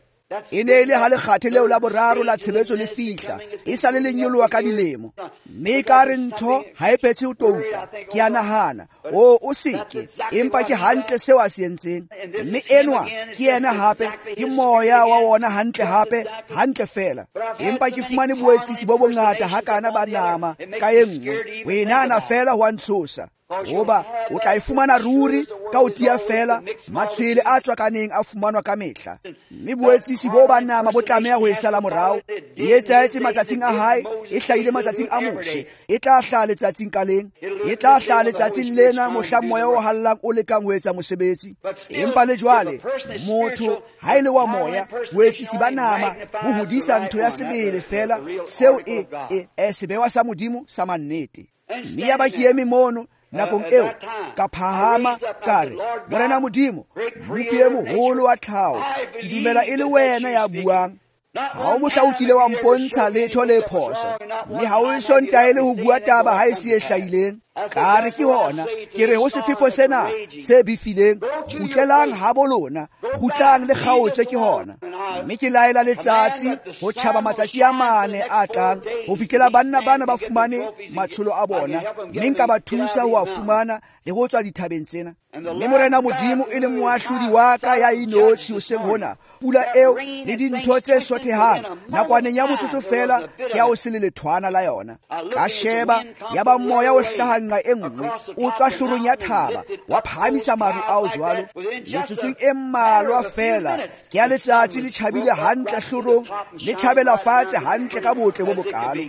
E ne e le ha lekgathe leo la boraro la tshebetso le fihla, e sa le le nyoloha ka dilemo. Mme ka re ntho ha e phethe ho touta, ke a nahana, o seke, empa ke hantle seo a se entseng. Mme enwa ke yena hape, ke moya wa wona hantle hape, hantle fela. Empa ke fumane boetsisi bo bongata hakana ba nama ka e nngwe, ho e nahana fela ho a ntshosa. Hoba o tla e fumana ruri Ka ho tiya feela, matshwele a tswakaneng a fumanwa ka mehla. Mme boetsisi bo ba nama bo tlameha ho e sala morao. E etsahetse matsatsing a hae, e hlahile matsatsing a Moshe, e tla hlaha letsatsing ka leng, e tla hlaha letsatsing lena mohla moya o hallang o lekang ho etsa mosebetsi. Empa le jwale, motho ha e le wa moya, boetsisi ba nama bo hodisa ntho ya sebele feela, seo e sebewa sa Modimo sa mannete. Mme ya ba ke eme mono nakong eo, ka phahama ka re, Morena Modimo, Mmopi e moholo wa tlhaho, ke dumela e le wena ya buang. Ha o mohla o kile wa mpontsha letho le phoso, mme ha o eso ntaele ho bua taba ha e se e hlahileng. Ka re ke hona, ke re ho sefefo sena se befileng, kgutlelang habo lona, kgutlang le kgaotse ke hona. Mme ke laela letsatsi ho tjhaba matsatsi a 4 a tlang, ho fihlela banna bana ba fumane matsholo a bona, mme nka ba thusa ho a fumana le ho tswa dithabeng tsena. Mme Morena Modimo e leng moahlodi wa ka ya inotshi hoseng hona, pula eo le dintho tse sothehang nakwaneng ya motsotso feela ke ya o se le lethwana la yona. Ka sheba, ya ba moya o hlaha nqa e nngwe, o tswa hlorong ya thaba, wa phahamisa maru ao jwalo. Metsotsong e mmalwa feela ke ya letsatsi le tjhabile hantle hlorong, le tjhabela fatshe hantle ka botle bo bokalo.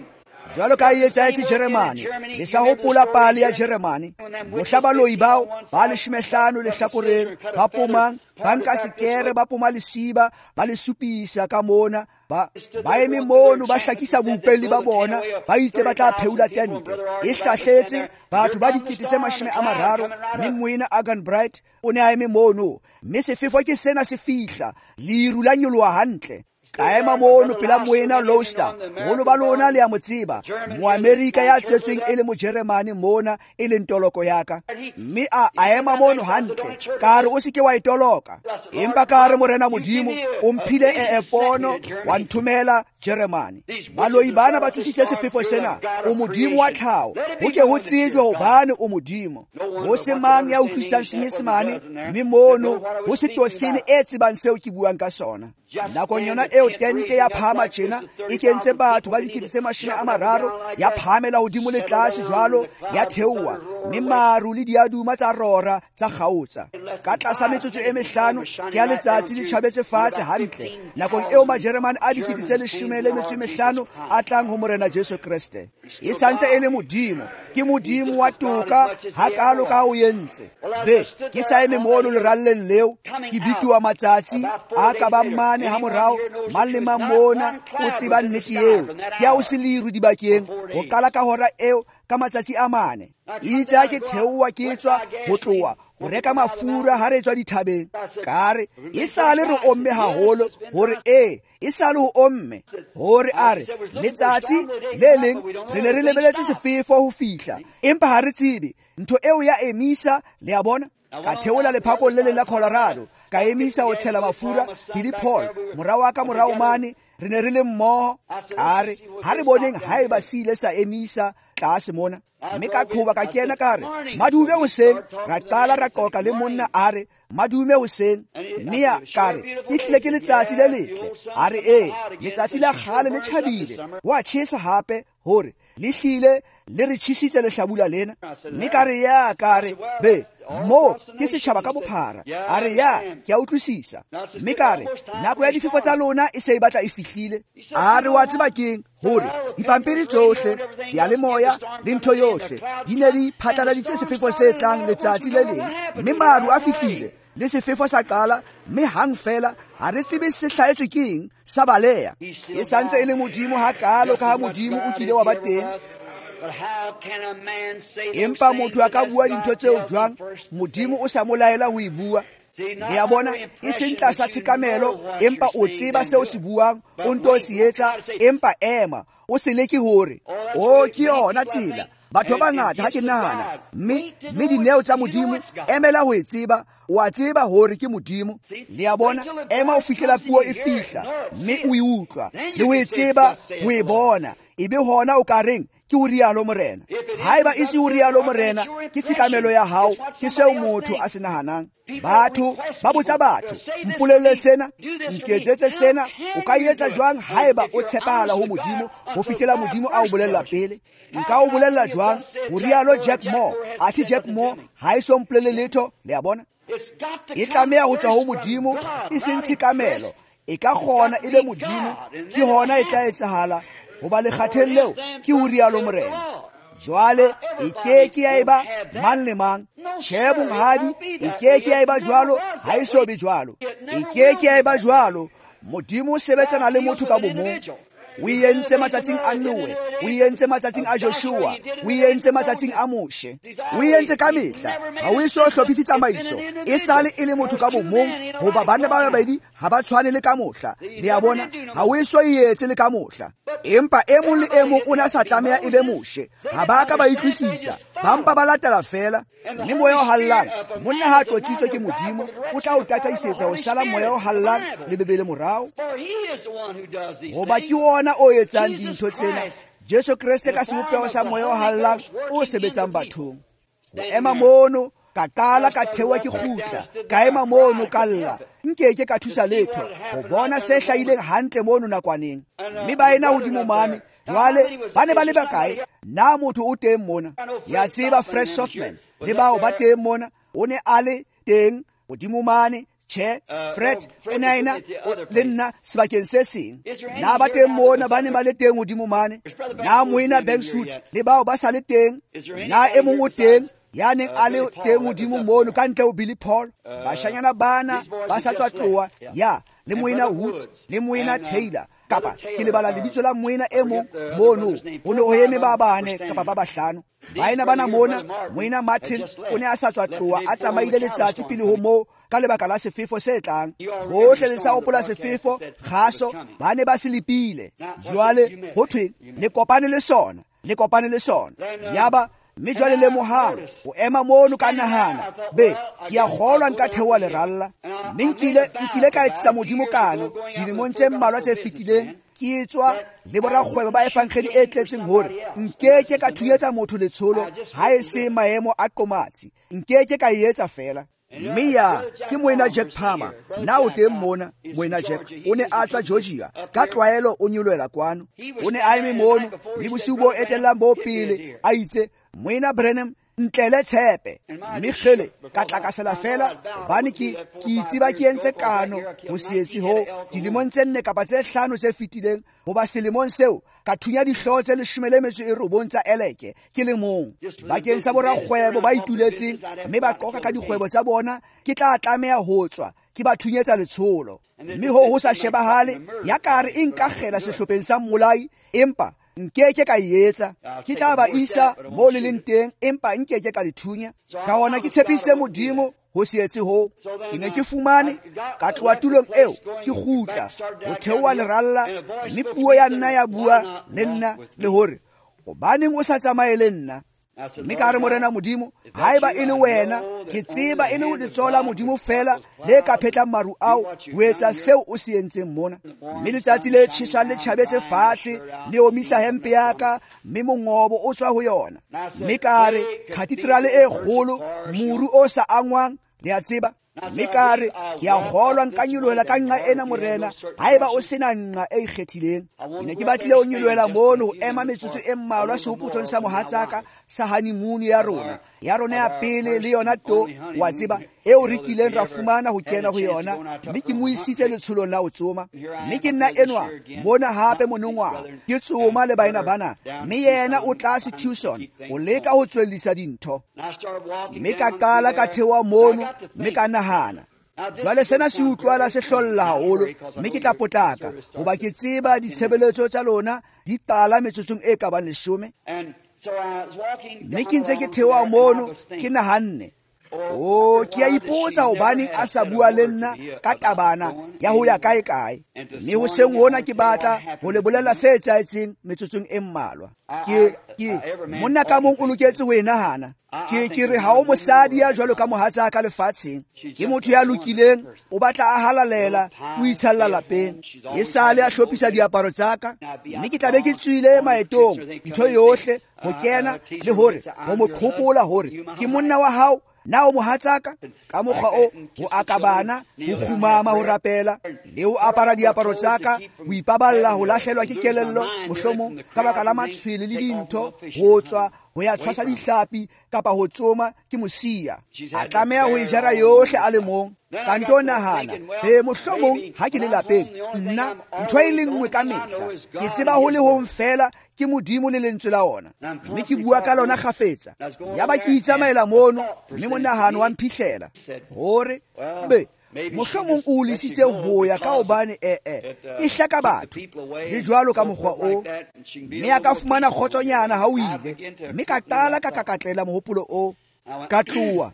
Jwalo ka e etsahetse Jeremane, le sa hopola pale ya Jeremane, mohla baloi bao ba 15 lehlakoreng ba pomang, ba nka sekere, ba poma lesiba, ba le supisa ka mona, ba eme mono ba hlakisa boupelli ba bona, ba itse ba tla pheula tente e hlahletse batho ba 30,000. Mme moena Agan Bright o ne a eme mono, mme sefefo ke sena se fihla, leru la nyoloha hantle. Ka ema mono pela moena Lowster, boholo ba lona le a mo tseba, Moamerika ya tswetsweng e le Mojeremane mona, e leng toloko ya ka. Mme a ema mono hantle, ka re o se ke wa e toloka. Empa ka re Morena Modimo o mphile pono, wa nthomela Jeremane. Baloi bana ba tsositse sefefo sena, o Modimo wa tlhaho, ho ke ho tsejwe hobane o Modimo. Ho se mang ya utlwisisang Senyesemane, mme mono ho se tosene e tsebang seo ke buang ka sona. Nakong yona eo tente ya phahama tjena, e kentse batho ba 30,000, ya phahamela hodimo le tlase jwalo, ya theoha, mme maru le diaduma tsa rora tsa kgaotsa. Ka tlasa metsotso e 5 ke ya letsatsi le tjhabetse fatshe hantle, nakong eo Majeremane a 15,000 a tlang ho Morena Jesu Kreste. E santse e le Modimo, ke Modimo wa toka hakalo ka o entse. Be ke sa eme mono leralleng leo, ke bituwa matsatsi a ka ba mane ha morao, mang le mang mona o tseba nnete eo. Ke ya o se leru dibakeng ho qala ka hora eo ka matsatsi a 4. Itse ha ke theoha ke tswa ho tloha ho reka mafura ha re tswa dithabeng, ka re e sale re omme haholo, hore e sale ho omme, hore a re letsatsi le leng re ne re lebeletse sefefo ho fihla, empa ha re tsebe ntho eo ya emisa. Le a bona? Ka theola lephakong le leng la Colorado, ka emisa ho tshela mafura. Billy Paul mora wa ka morao mane, re ne re le mmoho. Ka re ha re boneng haeba se ile sa emisa tlase mona. Mme ka qhoba ka kena ka re madume hoseng, ra qala ra qoqa le monna, a re madume hoseng. Mme ya ka re e hlile ke letsatsi le letle. A re ee, letsatsi la kgale le tjhabile, wa tjhesa hape, hore le hlile le re tjhisitse lehlabula lena. Mme ka re ya, ka re be mo ke setjhaba ka bophara. A re ya, ke a utlwisisa. Mme ka re nako ya difefo tsa lona e se e batla e fihlile. A re wa tseba keng, hore dipampiri tsohle, seyalemoya le ntho yohle di ne di phatlaladitse sefefo se tlang letsatsi le leng, mme maru a fihlile le sefefo sa qala, mme hang fela ha re tsebe se hlahetswe keng, sa baleha. E santse e le Modimo hakalo ka ha Modimo o kile wa ba teng. Empa motho a ka bua dintho tseo jwang, Modimo o sa mo laela ho e bua? Le a bona, e seng tlasa tshekamelo, empa o tseba seo se buang, o nto se etsa, empa ema, o se leke hore o ke yona tsela. Batho ba bangata ha ke nahana, mme dineo tsa Modimo, emela ho e tseba, o a tseba hore ke Modimo. Le a bona, ema o fihlela puo e fihla, mme o e utlwa, le ho e tseba, ho e bona, ebe hona o ka reng ke o rialo Morena. Haeba e se o rialo Morena, ke tshekamelo ya hao, ke seo motho a se nahanang. Batho ba botsa batho, mpolelle sena, nketsetse sena, o ka etsa jwang haeba o tshepahala ho Modimo ho fihlela Modimo a o bolella pele? Nka o bolella jwang? Ho rialo Jack Moore. Athe Jack Moore ha e so mpolelle letho, le a bona? E tlameha ho tswa ho Modimo, e seng tshekamelo. E ka kgona e be Modimo, ke hona e tla etsahala. Hoba lekgatheng leo ke ho rialo Morena. Jwale e ke ke ya eba mang le mang. Tjhe monghadi, e ke ke ya eba jwalo, ha e so be jwalo. E ke ke ya eba jwalo. Modimo o sebetsana le motho ka bomong. O e entse matsatsing a Noe, o e entse matsatsing a Joshua, o e entse matsatsing a Moshe, o e entse ka mehla. Ha o eso hlophise tsamaiso, e sale e le motho ka bomong, hoba banna ba babedi ha ba tshwane le ka mohla. Le a bona, ha o eso e etse le ka mohla. Empa e mong le e mong o ne a sa tlameha e be Moshe. Ha ba ka ba utlwisisa, ba mpa ba latela feela. Mme moya o hallang, monna ha a tlotsitswe ke Modimo, o tla o tataisetsa ho sala moya o hallang le Bibele morao. Hoba ke ona o etsang dintho tsena, Jesu Kreste ka sebopeho sa moya o hallang o sebetsang bathong. Ho ema mono, ka qala ka theoha ke kgutla, ka ema mono ka lla, nkeke ka thusa letho ho bona se hlahileng hantle mono nakwaneng. Mme ba ena hodimo mane, jwale ba ne ba le bakae? Na motho o teng mona? Ya tseba Fred Sothmann le bao ba teng mona, o ne a le teng hodimo mane. Tjhe, Fred o ne a ena le nna sebakeng se seng. Na ba teng mona ba ne ba le teng hodimo mane? Na moena Bankswood le bao ba sa le teng? Na e mong o teng ya neng a le teng hodimo mono ka ntle ho Billy Paul? Bashanyana bana ba sa tswa tloha, ya le moena Wood le moena Taylor, kapa ke lebala lebitso la moena e mong mono. Ho ne ho eme ba bane kapa ba bahlano. Baena bana mona, moena Martin o ne a sa tswa tloha, a tsamaile letsatsi pele ho moo ka lebaka la sefefo se tlang. Bohle le sa hopola sefefo, kgaso, ba ne ba se lepile. Jwale ho thweng? Le kopane le sona, le kopane le sona. Yaba mme jwale lemohang, ho ema mono ka nahana, be ke a kgolwa nka theoha leralla. Mme nkile ka etsetsa Modimo kano dilemong tse mmalwa tse fetileng, ke tswa le borakgwebo ba evangeli e tletseng hore nkeke ka thunyetsa motho letsholo ha e se maemo a qomatsi, nkeke ka e etsa feela. Mme ya ke moena Jack Palmer, na o teng mona? Moena Jack o ne a tswa Georgia, ka tlwaelo o nyolohela kwano. O ne a eme mono le bosiu bo etellang bo pele, a itse, Moena Branham, ntlele tshepe. Mme kgele ka tlakasela feela, hobane ke itseba ke entse kano ho se etse ho dilemong tse 4 kapa tse 5 tse fetileng, hoba selemong seo ka thunya dihlooho tse 19 tsa eleke ke le mong bakeng sa borakgwebo ba ituletseng mme ba qoka ka dikgwebo tsa bona. Ke tla tlameha ho tswa ke ba thunyetsa letsholo. Mme ho sa shebahale ya kare e nkakgela sehlopheng sa mmolai, empa nkeke ka e etsa. Ke tla ba isa mo le leng teng, empa nkeke ka le thunya. Ka hona ke tshepise Modimo ho se etse ho. Ke ne ke fumane ka tloha tulong eo, ke kgutla ho theoha leralla, mme puo ya nna ya bua le nna le hore, hobaneng o sa tsamaye le nna? Mme ka re, Morena Modimo, haeba e le wena, ke tseba e le letsoho la Modimo feela le ka phetlang maru ao ho etsa seo o se entseng mona. Mme letsatsi le tjhesang le tjhabetse fatshe, le omisa hempe ya ka, mme mongobo o tswa ho yona. Mme ka re, katedrale e kgolo, moru o sa angwang, le a tseba. Mme ka re, ke a kgolwa nka nyolohela ka nqa ena, Morena, haeba o sena nqa e ikgethileng. Ke ne ke batlile ho nyolohela mono ho ema metsotso e mmalwa sehopotsong sa mohatsaka sa honeymoon ya rona, ya rona ya pele le yona to, wa tseba, eo re kileng ra fumana ho kena ho yona. Mme ke mo isitse letsholong la ho tsoma. Mme ke nna enwa mona hape monongwaha, ke tsoma le baena bana, mme yena o tlase Tucson ho leka ho tswellisa dintho. Mme ka qala ka theoha mono, mme ka nahana, jwale sena se utlwala se hlolla haholo, mme ke tla potlaka hoba ke tseba ditshebeletso tsa lona di qala metsotsong e ka bang 10. Mme ke ntse ke theoha mono, ke nahanne, o ke a ipotsa hobaneng a sa bua le nna ka tabana ya ho ya kae kae. Mme hoseng hona ke batla ho le bolella se etsahetseng metsotsong e mmalwa. Ke monna ka mong o loketse ho e nahana. Ke re ha o mosadi ya jwalo ka mohatsaka lefatsheng. Ke motho ya lokileng, o batla a halalela, o itshalla lapeng. E sale a hlophisa diaparo tsa ka, mme ke tla be ke tswile maetong, ntho yohle ho kena le hore ho mo qhopola hore ke monna wa hao, na o mohatsaka. Ka mokgwa o ho aka bana, ho kgumama, ho rapela le ho apara diaparo tsa ka, ho ipaballa ho lahlelwa ke kelello mohlomong ka baka la matshwele le dintho, ho tswa ho ya tshwasa dihlapi kapa ho tsoma ke mo siya. A tlameha ho e jara yohle a le mong. Ka nto nahana, he mohlomong ha ke le lapeng, nna ntho e le nngwe ka mehla, ke tseba ho le hong fela ke Modimo le lentswe la ona, mme ke bua ka lona kgafetsa. Yaba ke itsamaela mono, mme monahano wa mphihlela hore be mohlomong o lesitse ho ya ka hobane e hlaka batho le jwalo ka mokgwa o, mme a ka fumana kgotsonyana ha o ile. Mme ka qala ka kakatlela mohopolo o, ka tloha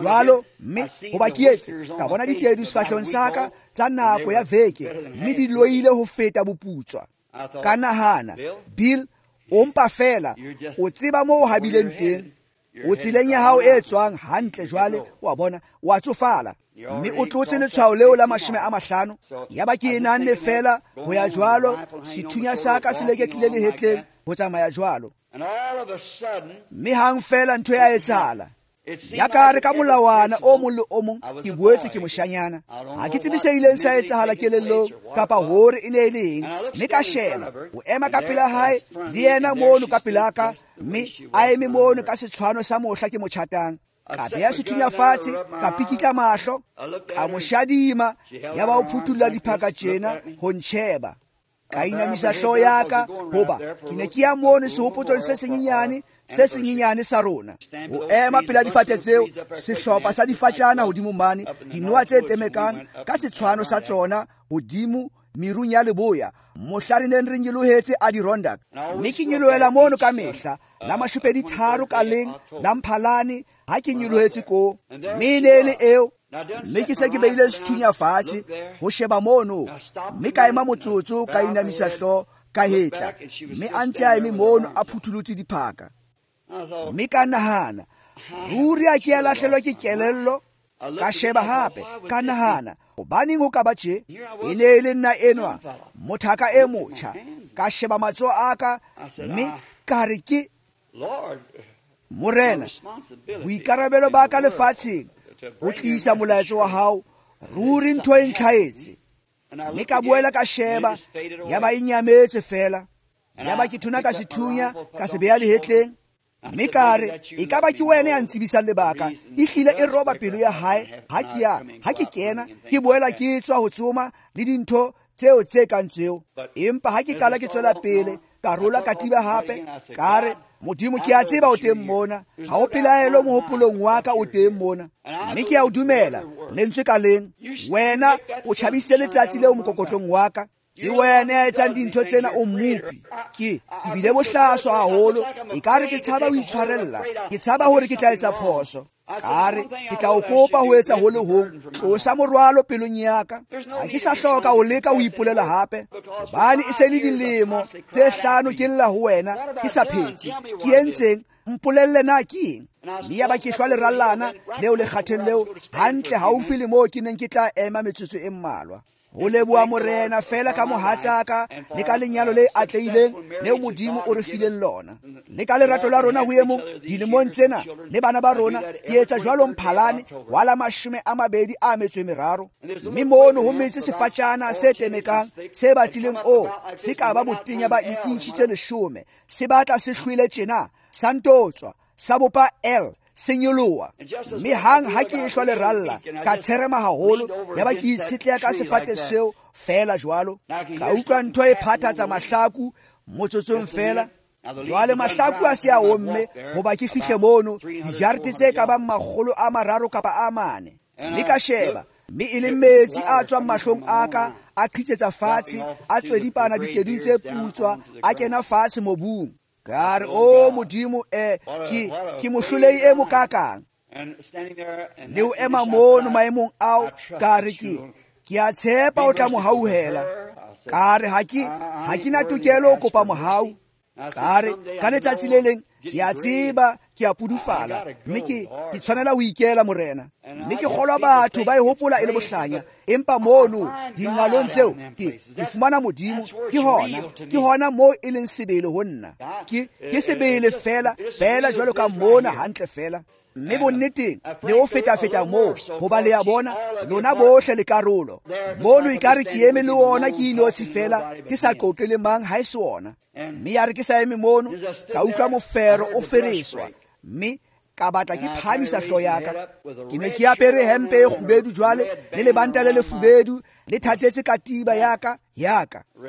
jwalo, mme hoba ke etse ka bona ditedu sefahlehong sa ka tsa nako ya veke, mme di loile ho feta boputswa. Ka nahana, Bill, o mpa fela o tseba moo o habileng teng, o tseleng ya hao e tswang hantle jwale, wa bona, wa tsofala, mme o tlotse letshwao leo la 50. Yaba ke e nahanne fela ho ya jwalo, sethunya sa ka se leketlile lehetleng ho tsamaya jwalo. Mme hang fela ntho ya etsahala. Ya ka re ka molawana o mong le o mong ke boetse ke moshanyana. Ha ke tsebe se ileng sa etsahala kelellong kapa hore e ne e le eng. Mme ka sheba, o ema ka pela hae le yena mono ka pela ka, mme a eme mono ka setshwano sa mohla ke mo tjhatang. Ka beha sethunya fatshe, ka pikitla mahlo, ka mo shadima, yaba o phuthulla diphaka tjena ho ntjheba. Ka inamisa hlooho ya ka, hoba ke ne ke ya mono sehopotsong se senyenyane sa rona. Ho ema pela difate tseo, sehlopha sa difatjana hodimo mane, dinoha tse temekang ka setshwano sa tsona hodimo merung ya leboya, mohla re neng re nyolohetse Adirondack. Mme ke nyolohela mono ka mehla la 23 ka leng la Mphalane ha ke nyolohetse koo. Mme e ne e le eo. Mme ke se ke beile sethunya fatshe ho sheba mono, mme ka ema motsotso, ka inamisa hlooho, ka hetla, mme a ntse a eme mono a phutholotse diphaka. Mme ka nahana, ruri a ke a lahlelwa ke kelello. Ka sheba hape, ka nahana, hobaneng ho ka ba tje? E ne e le nna enwa, mothaka e motjha. Ka sheba matsoho a ka, mme ka re ke Morena, boikarabelo ba ka lefatsheng ho tlisa molaetsa wa hao, ruri ntho e ntlhaetse. Mme ka boela ka sheba, yaba e nyametse fela. Yaba ke thuna ka sethunya, ka se beha lehetleng. Mme ka re, e ka ba ke wena ya ntsebisang lebaka. Ehlile e roba pelo ya hae ha ke ya, ha ke kena, ke boela ke tswa ho tsoma le dintho tseo tse kang tseo. Empa ha ke qala ke tswela pele, ka rola katiba hape, ka re, Modimo ke a tseba o teng mona, ha o pelaelo mohopolong wa ka o teng mona, mme ke a o dumela lentswe ka leng. Wena o tjhabisitse letsatsi leo mokokotlong wa ka. Ke wena ya etsang dintho tsena, o mmopi. Ke bile bohlaswa haholo, ekare ke tshaba ho itshwarella, ke tshaba hore ke tla etsa phoso. Ka re, ke tla o kopa ho etsa ho le hong, tlosa morwalo pelong ya ka. Ha ke sa hloka ho leka ho ipolela hape, hobane e se le dilemo tse 5 ke lla ho wena ke sa phetse. Ke entseng? Mpolelle na ke eng? Mme yaba ke hlwa lerallana leo lekgatheng leo hantle haufi le moo ke neng ke tla ema metsotso e mmalwa. Ho leboha Morena fela ka mohatsaka le ka lenyalo le atlehileng leo Modimo o re fileng lona, le ka lerato la rona ho e mong dilemong tsena le bana ba rona. Ke etsa jwalo Mphalane wa la 23. Mme mono ho metse sefatjana se temekang se batlileng o se ka ba botenya ba di-inchi tse 10, se batla se hlwele tjena, sa ntotswa, sa bopa L, se nyoloha. Mme hang ha ke ehlwa leralla, ka tsherema haholo, yaba ke itshetleha ka sefate seo fela jwalo. Ka utlwa ntho e phathatsa mahlaku motsotsong fela. Jwale mahlaku a se a omme, hoba ke fihle mono dijarte tse ka bang 300 kapa a 4. Mme ka sheba, mme e le metsi a tswang mahlong a ka, a qhitsetsa fatshe, a tswedipana ditedung tse putswa, a kena fatshe mobung. Ka re, o Modimo, ke mohlolei e mokakang. Le o ema mono maemong ao, ka re ke a tshepa o tla mo hauhela. Ka re ha ke na tokelo ho kopa mohau. Ka re ka letsatsi le leng ke a tseba Ke a pudufala, mme ke tshwanela ho ikela Morena. Mme ke kgolwa batho ba e hopola e le bohlanya, empa mono dinqalong tseo ke fumana Modimo. Ke hona moo e leng sebele ho nna. Ke sebele fela fela jwalo ka mona hantle fela. Mme bonneteng le ho feta-feta moo, hoba le a bona lona bohle le karolo. Mono ekare ke eme le ona ke inotshi fela, ke sa qoqe le mang ha e se ona. Mme ya re ke sa eme mono, ka utlwa mofero o fereswa, mme ka batla ke phahamisa hlooho ya ka. Ke ne ke apere hempe e kgubedu jwale, le lebanta le lefubedu le thatetse katiba ya ka.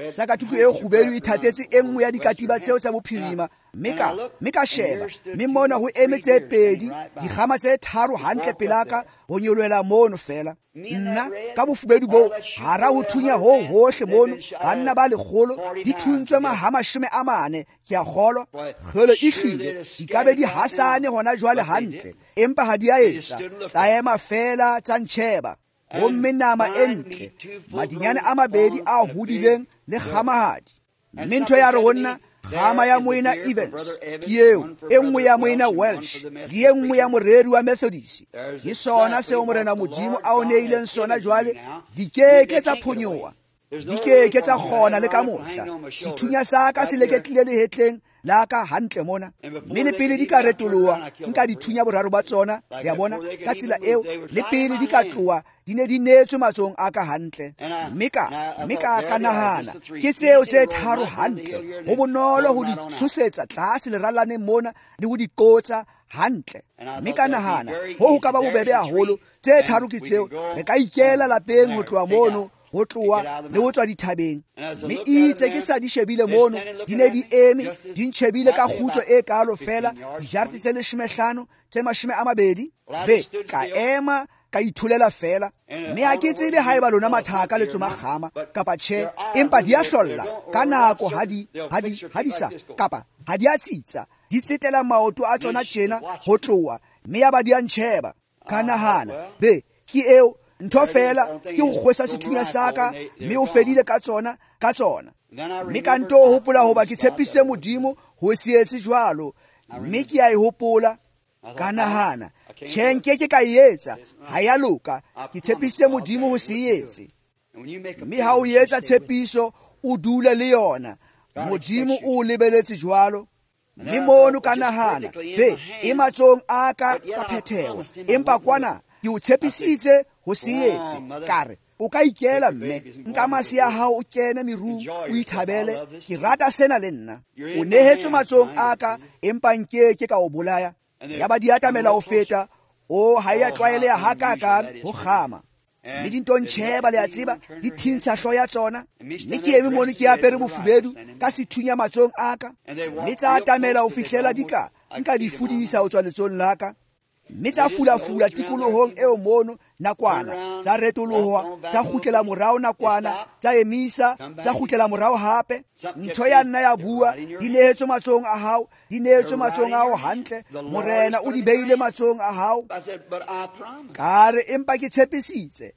Sakatuku e kgubedu e thatetse e nngwe ya dikatiba tseo tsa bophirima. Mme ka sheba, mme mona ho eme tse pedi, dikgama tse tharo hantle pelaka, ho nyolohela mono fela. Nna ka bofubedu boo, hara ho thunya ho hohle mono, banna ba 100 di thuntswe maha 40, ke a kgolwa. Kgolo e hlile di ka be di hasane hona jwale hantle, empa ha di a etsa, tsa ema fela tsa ntjheba. Homme nama e ntle, madinyane a mabedi a hodileng le kgamahadi. Mme ntho ya re ho nna, kgama ya moena Evans ke eo, e nngwe ya moena Welsh le e nngwe ya moreri wa Methodist. Ke sona seo Morena Modimo a o neileng sona jwale, di ke tsa phonyoha, di ke tsa kgona le ka mohla. Sethunya sa ka se leketlile lehetleng la ka hantle mona, mme le pele di ka retoloha nka dithunya boraro ba tsona, ya bona, ka tsela eo, le pele di ka tloha di ne di neetswe matsohong a ka hantle. Mme ka nahana, ke tseo tse tharo hantle, ho bonolo ho di tshosetsa tlase lerallaneng mona le ho di qotsa hantle. Mme ka nahana, ho ka ba bobebe haholo, tse tharo ke tseo, re ka ikela lapeng ho tloha mono, ho tloha le ho tswa dithabeng. Mme itse ke sa di shebile mono, di ne di eme, di ntjhebile ka kgutso e kalo fela, dijarte tse 15 tse 20. Be ka ema ka itholela fela. Mme ha ke tsebe haeba lona mathaka le tsoma kgama kapa tjhe, empa di a hlolla ka nako ha di sa kapa ha di a tsitsa, di tsetela maoto a tsona tjena ho tloha, mme ya ba di a ntjheba. Ka nahana, be ke eo ntho fela, ke ho kgwesa sethunya sa ka, mme o fedile ka tsona. Mme ka nto hopola hoba ke tshepise Modimo ho se etse jwalo, mme ke a e hopola. Ka nahana, tjhe, nke ke ka e etsa, ha ya loka, ke tshepisitse Modimo ho se etse. Mme ha o etsa tshepiso, o dule le yona, Modimo o lebeletse jwalo. Mme mono ka nahana, be e matsohong a ka ka phetheho, empa kwana ke o tshepisitse ho se etse. Ka re, o ka ikela mme, nka masea a hao o kene merung, o ithabele, ke rata sena le nna. O nehetswe matsohong a ka, empa nke ke ka o bolaya. Ya ba di atamela ho feta, o ha ya tlwaeleha hakakang ho kgama. Mme di nto ntjheba, le a tseba, di thintsha hlooho ya tsona. Mme ke eme mono ke apere bofubedu ka sethunya matsohong a ka, mme tsa atamela ho fihlela di ka nka di fudisa ho tswa letsohong la ka. Mme tsa fulafula tikolohong eo mono nakwana, tsa retoloha, tsa kgutlela morao nakwana, tsa emisa, tsa kgutlela morao hape. Ntho ya nna ya bua, di nehetswe matsohong a hao, di nehetswe matsohong a hao hantle, Morena o di beile matsohong a hao. Ka re, empa ke tshepisitse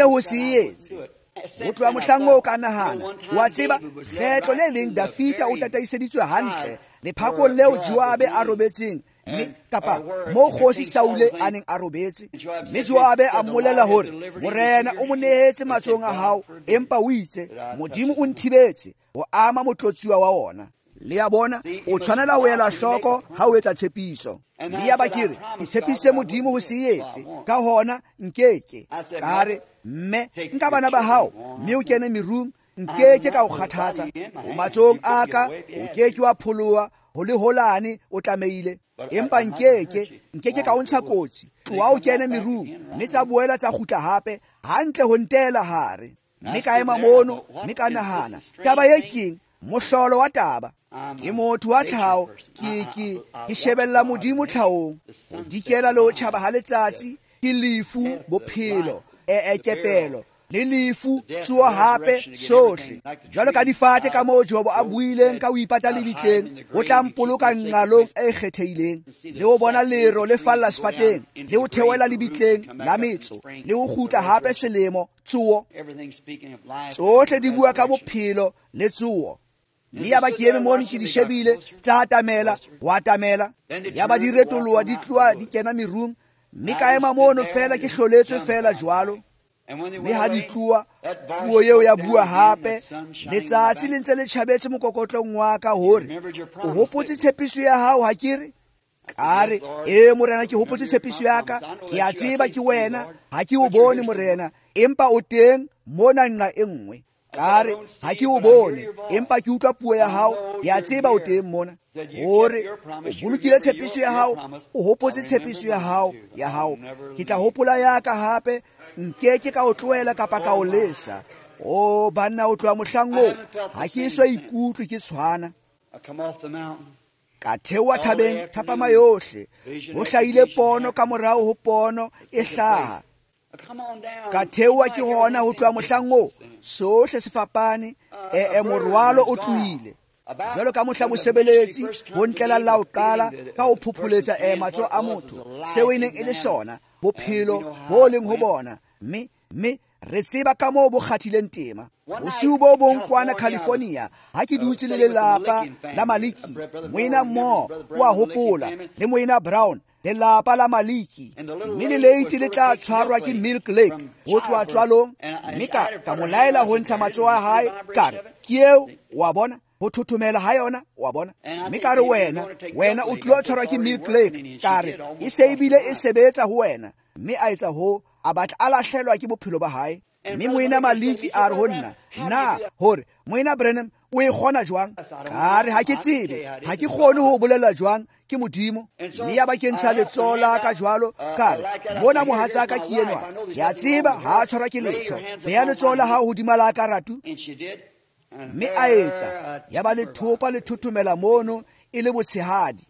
ho se etse. Ho tloha mohlang oo ka nahana, wa tseba, kgetlo le leng Dafita o tataiseditswe hantle lephakong leo Joabe a robetseng, mme kapa mo kgosi Saule a neng a robetse. Mme Joabe a mmolela hore Morena o mo nehetse matsohong a hao, empa o itse, Modimo o nthibetse ho ama motlotsuwa wa ona. Le a bona, o tshwanela ho ela hloko ha o etsa tshepiso. Mme ya ba ke re, ke tshepisitse Modimo ho se etse, ka hona nkeke. Ka re, mme nka bana ba hao, mme o kene merung, nke ke ka o kgathatsa. O matsohong a ka, o ke ke wa pholoha, ho le holane o tlamehile, empa nke ke ka o ntsha kotsi. Tloha o kene merung, mme tsa boela tsa kgutla hape, hantle ho ntela hare. Mme ka ema mono, mme ka nahana, taba e keng? Mohlolo wa taba. Ke motho wa tlhaho, ke shebella Modimo tlhahong. Ho dikela le ho tjhaba ha letsatsi, ke lefu, bophelo, kepelo, le lefu, tsoho hape, sohle. Jwalo ka difate ka moo Jobo a buileng ka ho ipata lebitleng, o tla mpoloka nqalong e kgethehileng, le ho bona lero le falla sefateng, le ho theohela lebitleng la metso, le ho kgutla hape selemo, tsoho. Tsohle di bua ka bophelo le tsoho. Mme ya ba ke eme mono ke di shebile, tsa atamela, ho atamela. Ya ba di retoloha di tloha di kena merung, mme ka ema mono fela ke hloletswe fela jwalo. Mme ha di tloha, puo eo ya bua hape, letsatsi le ntse le tjhabetse mokokotlong wa ka hore o hopotse tshepiso ya hao ha ke re? Ka re, ee Morena, ke hopotse tshepiso ya ka, ke a tseba ke wena, ha ke o bone Morena, empa o teng mona nqa e nngwe. Ka re, ha ke o bone, empa ke utlwa puo ya hao, ke a tseba o teng mona. Hore o bolokile tshepiso ya hao, o hopotse tshepiso ya hao, ya hao. Ke tla hopola ya ka hape, nke ke ka o tlohela kapa ka o lesa. O banna, o tloha mohlang oo, ha ke eso ikutlwe ke tshwana. Ka theoha thabeng thapama yohle, ho hlahile pono ka morao ho pono e hlaha. Ka theoha ke hona ho tloha mohlang oo, sohle se fapane, morwalo o tlohile. Jwalo ka mohla mosebeletsi ho ntlela la ho qala ka ho phopholetsa matsoho a motho, seo e neng e le sona, bophelo bo leng ho bona, mme re tseba ka moo bo kgathileng tema. Bosiu bo bong kwana California, ha ke dutse le lelapa la Maliki, moena Moore o a hopola, le moena Brown, lelapa la Maliki, mme le leite le tla tshwarwa ke Milk Lake ho tloha tswalong, mme ka mo laela ho ntsha matsoho a hae, ka re, ke eo, wa bona, ho thothomela ha yona, wa bona. Mme ka re, wena o tlilo tshwarwa ke Milk Lake, ka re, e se ebile e sebetsa ho wena. Mme a etsa ho, a batla a lahlelwa ke bophelo ba hae. Mme moena Maliki a re ho nna, na hore moena Branham o e kgona jwang? Ka re, ha ke tsebe, ha ke kgone ho bolela jwang, ke Modimo. Mme ya ba ke ntsha letsoho la ka jwalo, ka re, mona mohatsaka ke enwa, ke a tseba ha a tshwarwa ke letho, beha letsoho la hao hodima la ka ratu. Mme a etsa, ya ba lethopa le thothomela mono e le botshehadi.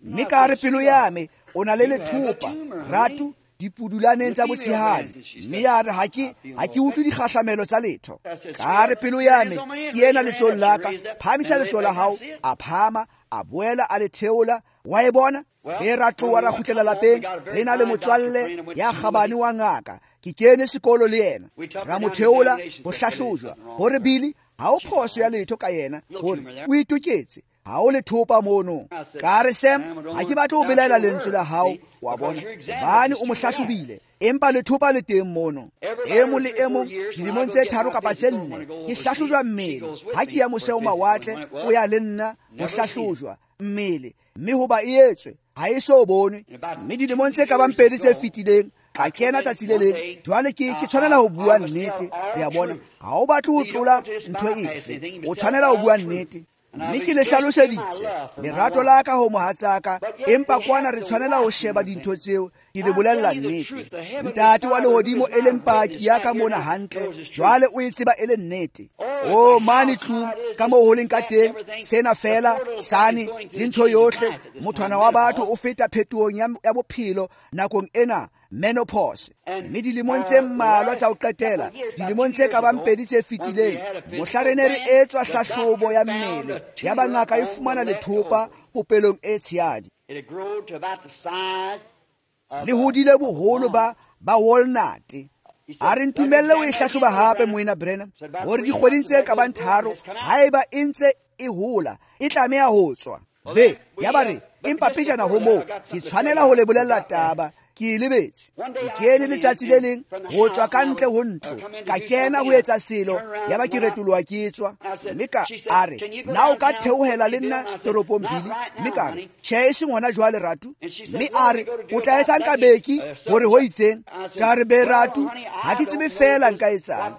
Mme ka re, pelo ya me, o na le lethopa ratu dipudulaneng tsa botshehadi. Mme ya re, ha ke utlwe dikgahlamelo tsa letho. Ka re, pelo ya me, ke ena letsohong la ka, phahamisa letsoho la hao. A phahama, a boela a le theola, wa e bona. Be ra tloha ra kgutlela lapeng, re na le motswalle ya kgabane wa ngaka, ke kene sekolo le yena. Ra mo theola ho hlahlojwa, hore Billy ha o phoso ya letho ka yena, hore o itoketse, ha o lethopa mono. Ka re, Sam, ha ke batle ho belaela lentswe la hao, wa bona, hobane o mo hlahlobile, empa lethopa le teng mono. E mong le e mong dilemong tse 3 kapa tse 4 ke hlahlojwa mmele. Ha ke ya mose ho mawatle, o ya le nna ho hlahlojwa mmele, mme hoba e etswe ha e so bonwe. Mme dilemong tse ka bang 2 tse fetileng, ka kena tsatsi le leng. Jwale ke tshwanela ho bua nnete, re a bona. Ha o batle ho tlola ntho efe, o tshwanela ho bua nnete. Mme ke le hlaloseditse lerato la ka ho mohatsaka, empa kwana re tshwanela ho sheba dintho tseo, ke le bolella nnete. Ntate wa lehodimo e leng paki ya ka mona hantle, jwale o e tseba e le nnete. O mane tlung ka moo ho leng ka teng, sena fela sane le ntho yohle, mothwana wa batho o feta phetohong ya bophelo nakong ena, menopause. Mme dilemong tse mmalwa tsa ho qetela, dilemong tse ka bang 2 tse fetileng, mohla re ne re etswa hlahlobo ya mmele, ya ba ngaka e fumana lethopa popelong e tshehadi. Le hodile boholo ba walnut. A re ntumelle o e hlahloba hape moena Branham, hore dikgweding tse ka bang 3, haeba e ntse e hola, e tlameha ho tswa. Be, ya ba re, empa pejana ho moo, ke tshwanela ho le bolella taba, ke e lebetse. Ke kene letsatsi le leng ho tswa ka ntle ho ntlo, ka kena ho etsa selo, ya ba ke retoloha ke tswa. Mme ka a re, na o ka theohela le nna toropong Billy? Mme ka re, tjhe, e seng hona jwale ratu. Mme a re, o tla etsang ka beki hore ho itseng? Ka re, be ratu, ha ke tsebe fela nka etsang.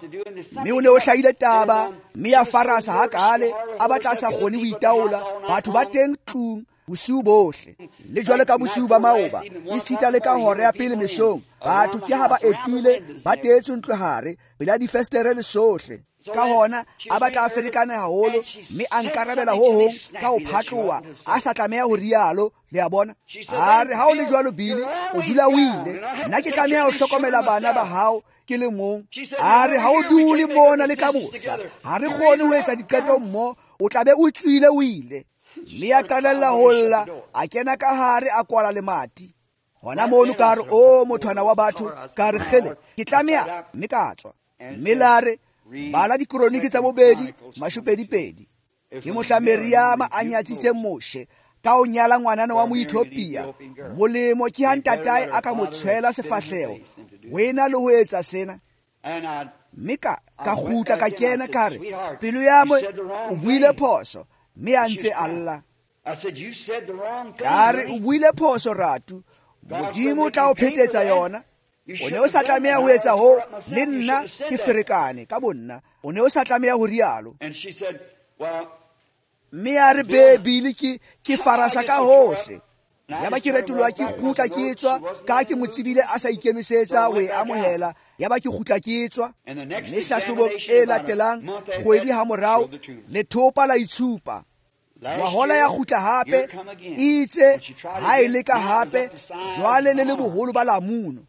Mme o ne o hlahile taba, mme ya farasa hakale, a batla a sa kgone ho itaola, batho ba teng tlung bosiu bohle. Le jwale ka bosiu ba maoba, esita le ka hora ya pele mesong, batho ke ha ba etile, ba teetswe ntlo hare, pela difestere le sohle. Ka hona a batla a ferekane haholo, mme a nkarabela ho hong ka ho phatloha, a sa tlameha ho rialo, le a bona. A re, ha o le jwalo Billy, o dula o ile, nna ke tlameha ho hlokomela bana ba hao ke le mong. A re, ha o dule mona le ka mohla, ha re kgone ho etsa diqeto mmoho, o tla be o tswile o ile. Mme a qalella ho lla, a kena ka hare a kwala lemati. Hona mono ka re, o mothwana wa batho, ka re kgele, ke tlameha, mme ka tswa. Mme la re, bala dikroniki tsa bobedi, 22. Ke mohla Meriama a nyatsitseng Moshe ka o nyala ngwanana wa Moethiopia. Molemo ke ha ntatae a ka mo tshwela sefahleho ho ena le ho etsa sena. Mme ka kgutla ka kena ka re, pelo ya mo o buile phoso, mme a ntse a lla. Ka re, o buile phoso ratu, Modimo o tla o phetetsa yona. O ne o sa tlameha ho etsa ho, le nna ke ferekane ka bonna. O ne o sa tlameha ho rialo. Mme a re, Bibele ke farasa ka hohle. Yaba ke retoloha ke kgutla ke tswa, ka ke mo tsebile a sa ikemisetsa ho e amohela. Yaba ke kgutla ke tswa. Mme hlahlobong e latelang kgwedi ha morao, lethopa la itshupa. Ngwahola ya kgutla hape, itse ha e leka hape, jwale le le boholo ba lamunu.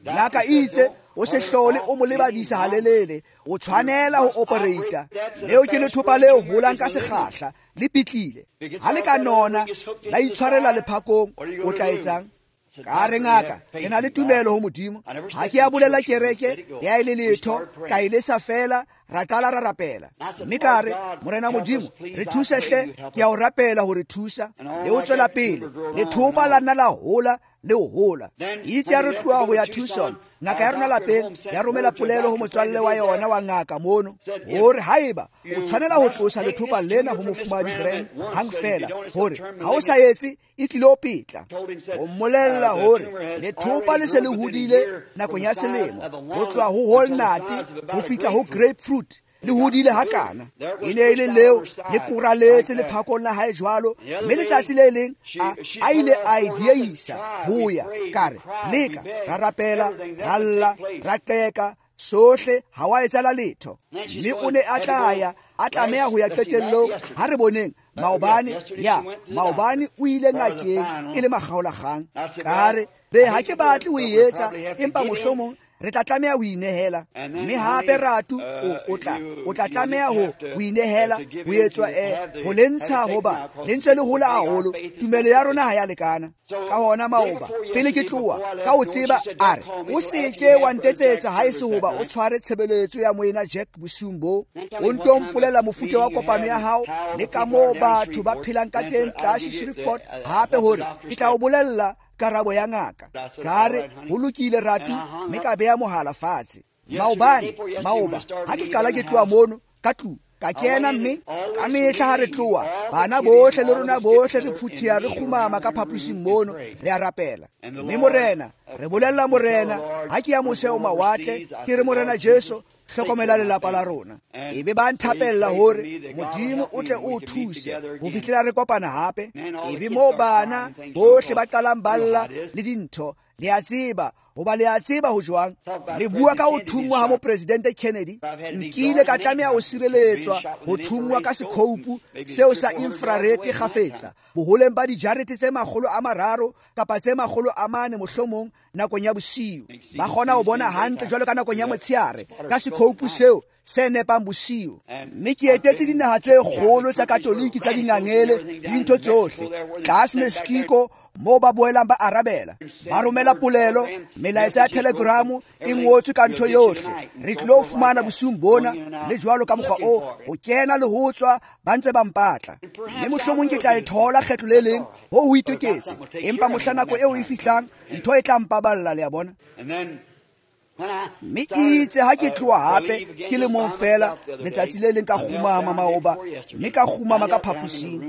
Ngaka itse o se hlole o mo lebadisa halelele, o tshwanela ho operate. Leo ke lethopa le holang ka sekgahla, le pitlile. Ha le ka nona la itshwarela lephakong, o tla etsang? Ka re, ngaka, ke na le tumelo ho Modimo. Ha ke a bolela kereke ya e le letho, ka e lesa fela, ra qala ra rapela. Mme ka re, Morena Modimo, re thuse hle, ke a o rapela ho re thusa. Le o tswela pele, lethopa la nna la hola le ho hola. Itse ya re tloha ho ya Tucson, ngaka ya rona lapeng ya romela polelo ho motswalle wa yona wa ngaka mono, hore haeba o tshwanela ho tlosa lethopa lena ho mofumahadi Branham hang fela, hore ha o sa etse e tlilo petla. O mmolella hore lethopa le se le hodile nakong ya selemo, ho tloha ho walnut ho fihla ho grapefruit, le hodile hakana. E ne e le leo le koraletse lephakong la hae jwalo. Mme letsatsi le leng a ile a e dieisa ho ya. Ka re, leka, ra rapela, ra lla, ra qeka, sohle ha wa etsahala letho. Mme o ne a tla ya, a tlameha ho ya qetellong. Ha re boneng maobane, ya maobane o ile ngakeng e le makgaolakgang. Ka re, be ha ke batle ho e etsa, empa mohlomong re tla tlameha ho inehela. Mme hape ratu o tla tlameha ho inehela, ho etswa ho le ntsha, hoba le ntse le hola haholo, tumelo ya rona ha ya lekana. Ka hona maoba pele ke tloha, ka ho tseba a re, o seke wa ntetsetsa ha e se hoba o tshware tshebeletso ya moena Jack bosiung bo. O nto mpolela mofuta wa kopano ya hao le ka moo batho ba phelang ka teng tlase Shreveport, hape hore ke tla o bolella karabo ya ngaka. Ka re, ho lokile ratu, mme ka beha mohala fatshe. Maobane, maoba, ha ke qala ke tloha mono ka tlung, ka kena, mme ka mehla ha re tloha, bana bohle le rona bohle re phuthea re kgumama ka phaposing mono, re a rapela. Mme Morena, re bolella Morena, ha ke ya mose o mawatle, ke re Morena Jesu, hlokomela lelapa la rona. Ebe ba nthapella hore Modimo o tle o thuse ho fihlela re kopana hape. Ebe moo bana bohle ba qalang ba lla le dintho, le a tseba, hoba le a tseba ho jwang. Le bua ka ho thunngwa ha mopresidente Kennedy. Nkile ka tlameha ho sireletswa ho thunngwa ka sekhoupu seo sa infrared kgafetsa, boholeng ba dijarete tse 300 kapa tse 400 mohlomong nakong ya bosiu. Ba kgona ho bona hantle jwalo ka nakong ya motsheare ka sekhoupu seo se nepang bosiu. Mme ke etetse dinaha tse kgolo tsa Katoliki tsa dingangele le dintho tsohle tlase Mexico, moo ba boelang ba arabela, ba romela polelo, melaetsa ya telegramo e ngotswe ka ntho yohle. Re tlilo fumana bosiung bona le jwalo ka mokgwa o ho kena le ho tswa, ba ntse ba mpatla. Mme mohlomong ke tla e thola kgetlo le leng, ho itoketse, empa mohla nako eo e fihlang, ntho e tla mpaballa, le a bona. Mme itse ha ke tloha hape ke le mong fela, letsatsi le leng ka kgumama maoba, mme ka kgumama ka phaposing,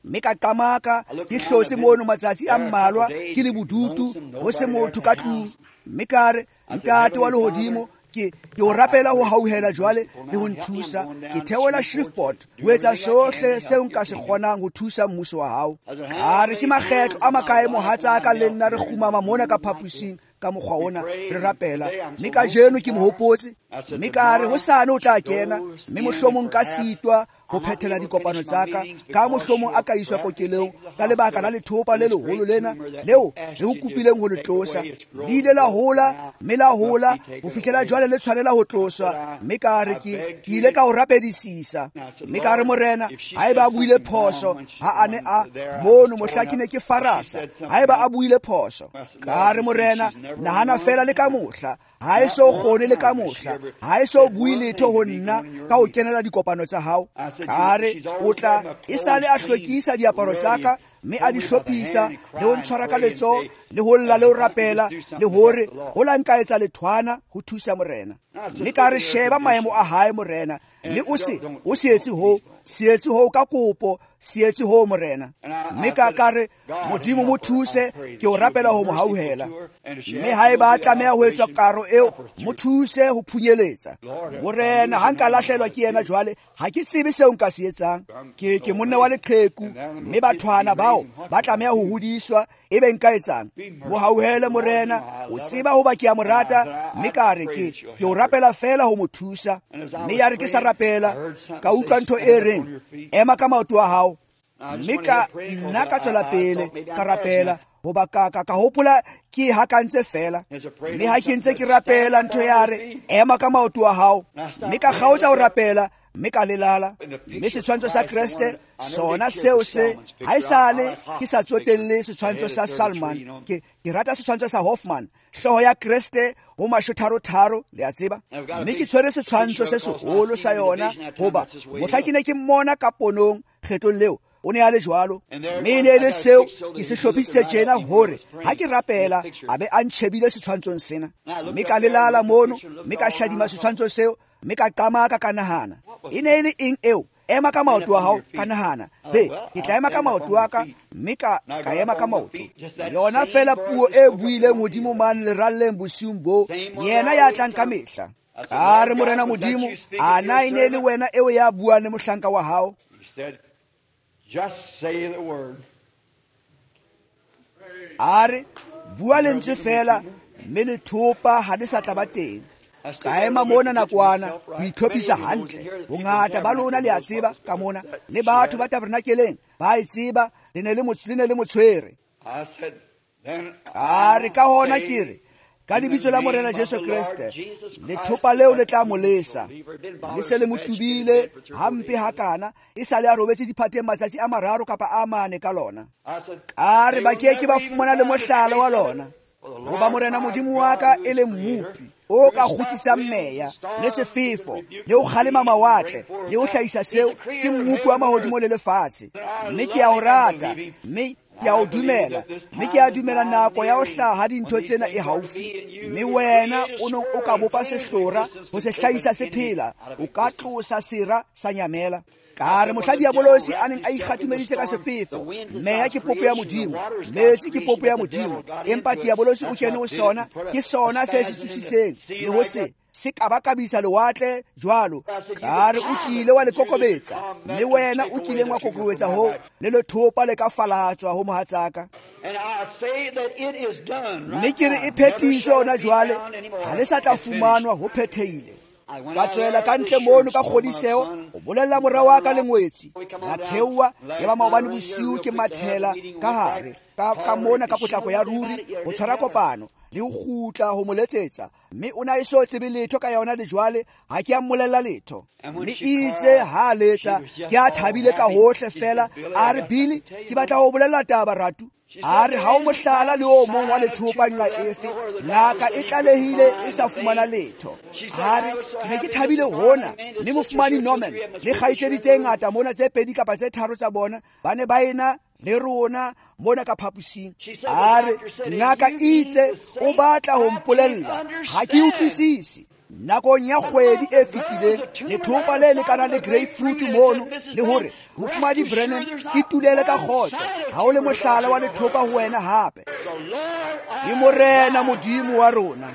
mme ka qamaka ke hlotse mono matsatsi a mmalwa ke le bodutu, ho se motho ka tlung. Mme ka re, Ntate wa lehodimo, ke o rapela ho hauhela jwale le ho nthusa. Ke theola Shreveport ho etsa sohle seo nka se kgonang ho thusa mmuso wa hao. Ka re, ke makgetlo a makae mohatsaka le nna re kgumama mona ka phaposing ka mokgwa ona re rapela. Mme kajeno ke mohopotse, mme ka re hosane o tla kena, mme mohlomong ka sitwa ho phethela dikopano tsa ka, ka mohlomong a ka iswa kokelong ka lebaka la lethopa le leholo lena leo re o kopileng ho le tlosa. Le ile la hola, mme la hola ho fihlela jwale le tshwanela ho tloswa. Mme ka re ke ile ka o rapedisisa, mme ka re, Morena, haeba a buile phoso ha a ne a mono mohla ke ne ke farasa, haeba a buile phoso, ka re, Morena, nahana fela le ka mohla ha e so kgone le ka mohla, ha e so bue letho ho nna ka ho kenela dikopano tsa hao. Ka re o tla e sale a hlwekisa diaparo tsa ka mme a di hlophisa le ho ntshwara ka letsoho le ho lla le ho rapela le hore ho la nka etsa lethwana ho thusa morena. Mme ka re sheba maemo a hae morena, mme o se etse ho se etse ho ka kopo, se etse ho morena. Mme ka re Modimo mo thuse, ke o rapela ho mo hauhela. Mme haeba a tlameha ho etswa karo eo, mo thuse ho phunyeletsa. Morena ha nka lahlelwa ke yena jwale, ha ke tsebe seo nka se etsang. Ke monna wa leqheku, mme bathwana bao ba tlameha ho hodiswa, ebe nka etsang? Mo hauhele morena, o tseba hoba ke a mo rata. Mme ka re ke o rapela fela ho mo thusa. Mme ya re ke sa rapela, ka utlwa ntho e reng, ema ka maoto a hao. Mme ka nna ka tswela pele ka rapela, hoba ka hopola ke hakantse fela. Mme ha ke ntse ke rapela, ntho ya re, ema ka maoto a hao. Mme ka kgaotsa ho rapela, mme ka lelala. Mme setshwantsho sa Kreste sona seo se ha esale ke sa tsotelle setshwantsho sa Salman, ke rata setshwantsho sa Hoffman, hlooho ya Kreste ho mashotharo-tharo, le a tseba. Mme ke tshwere setshwantsho se seholo sa yona, hoba mohla ke ne ke mmona ka ponong kgetlong leo, o ne a le jwalo. Mme e ne e le seo ke se hlophisitse tjena hore ha ke rapela a be a ntjhebile setshwantshong sena. Mme ka lelala mono, mme ka shadima setshwantsho seo, mme ka qamaka ka nahana, e ne e le eng eo? Ema ka maoto a hao. Ka nahana, be ke tla ema ka maoto a ka. Mme ka ema ka maoto. Yona fela puo e buileng hodimo mane leralleng bosiung bo, yena ya tlang ka mehla. Ka re morena Modimo, a na e ne le wena eo ya buang le mohlanka wa hao? Just say the word. A re bua lentswe fela, mme lethopa ha le sa tla ba teng. Ka ema mona nakwana ho itlhophisa hantle. Bongata ba lona le a tseba ka mona, le batho ba tabernakeleng ba e tseba, le ne le mo tshwere. A re ka hona ke re, ka lebitso la morena Jesu Kreste, lethopa leo le tla mo lesa. Le se le mo tubile hampe hakana, e sale a robetse diphateng matsatsi a mararo kapa a mane ka lona. Ka re ba ke ke ba fumana le mohlala wa lona, hoba morena Modimo wa ka e le mmopi o ka kgutsisang meya le sefefo le ho kgalema mawatle le ho hlahisa seo, ke mmopi wa mahodimo le lefatshe. Mme ke a o rata, mme ke a o dumela, mme ke a dumela nako ya ho hlaha dintho tsena e haufi. Mme wena o nong o ka bopa sehlora ho se hlahisa se phela, o ka tlosa sera sa nyamela. Ka re mohla diabolosi a neng a ikgatumeditse ka sefefo, meya ke popo ya Modimo, metsi ke popo ya Modimo, empa diabolosi o kene ho sona, ke sona se se tsositseng le ho se kabakabisa lewatle jwalo. Ka re o kile wa le kokobetsa, mme wena o kileng wa kokobetsa ho le lethopa le ka falatswa ho mohatsaka. Mme ke re e phethiswe hona jwale, ha le sa tla fumanwa, ho phethehile. Ka tswela ka ntle mono ka kgodiseho o bolella mora wa ka le ngwetsi. Ra theoha, ya ba maobane bosiu ke mathela ka hare ka mona ka potlako ya ruri ho tshwara kopano le ho kgutla ho mo letsetsa. Mme o na e so tsebe letho ka yona le jwale, ha ke a mmolella letho. Mme itse ha letsa, ke a thabile ka hohle fela. A re, Billy, ke batla ho bolella taba ratu. A re ha o mohlala le o mong wa lethopa nqa efe, ngaka e tlalehile e sa fumana letho. A re ke ne ke thabile hona, mme mofumane Norman le kgaitsedi tse ngata mona tse pedi kapa tse tharo tsa bona ba ne ba ena le rona mona ka phaposing. A re ngaka itse o batla ho mpolella, ha ke utlwisise. Nakong ya kgwedi e fetileng, lethopa le lekanang le grapefruit mono, le hore mofumadi Brennan e tulele ka kgotso, ha o le mohlala wa lethopa ho wena hape. Ke morena Modimo wa rona.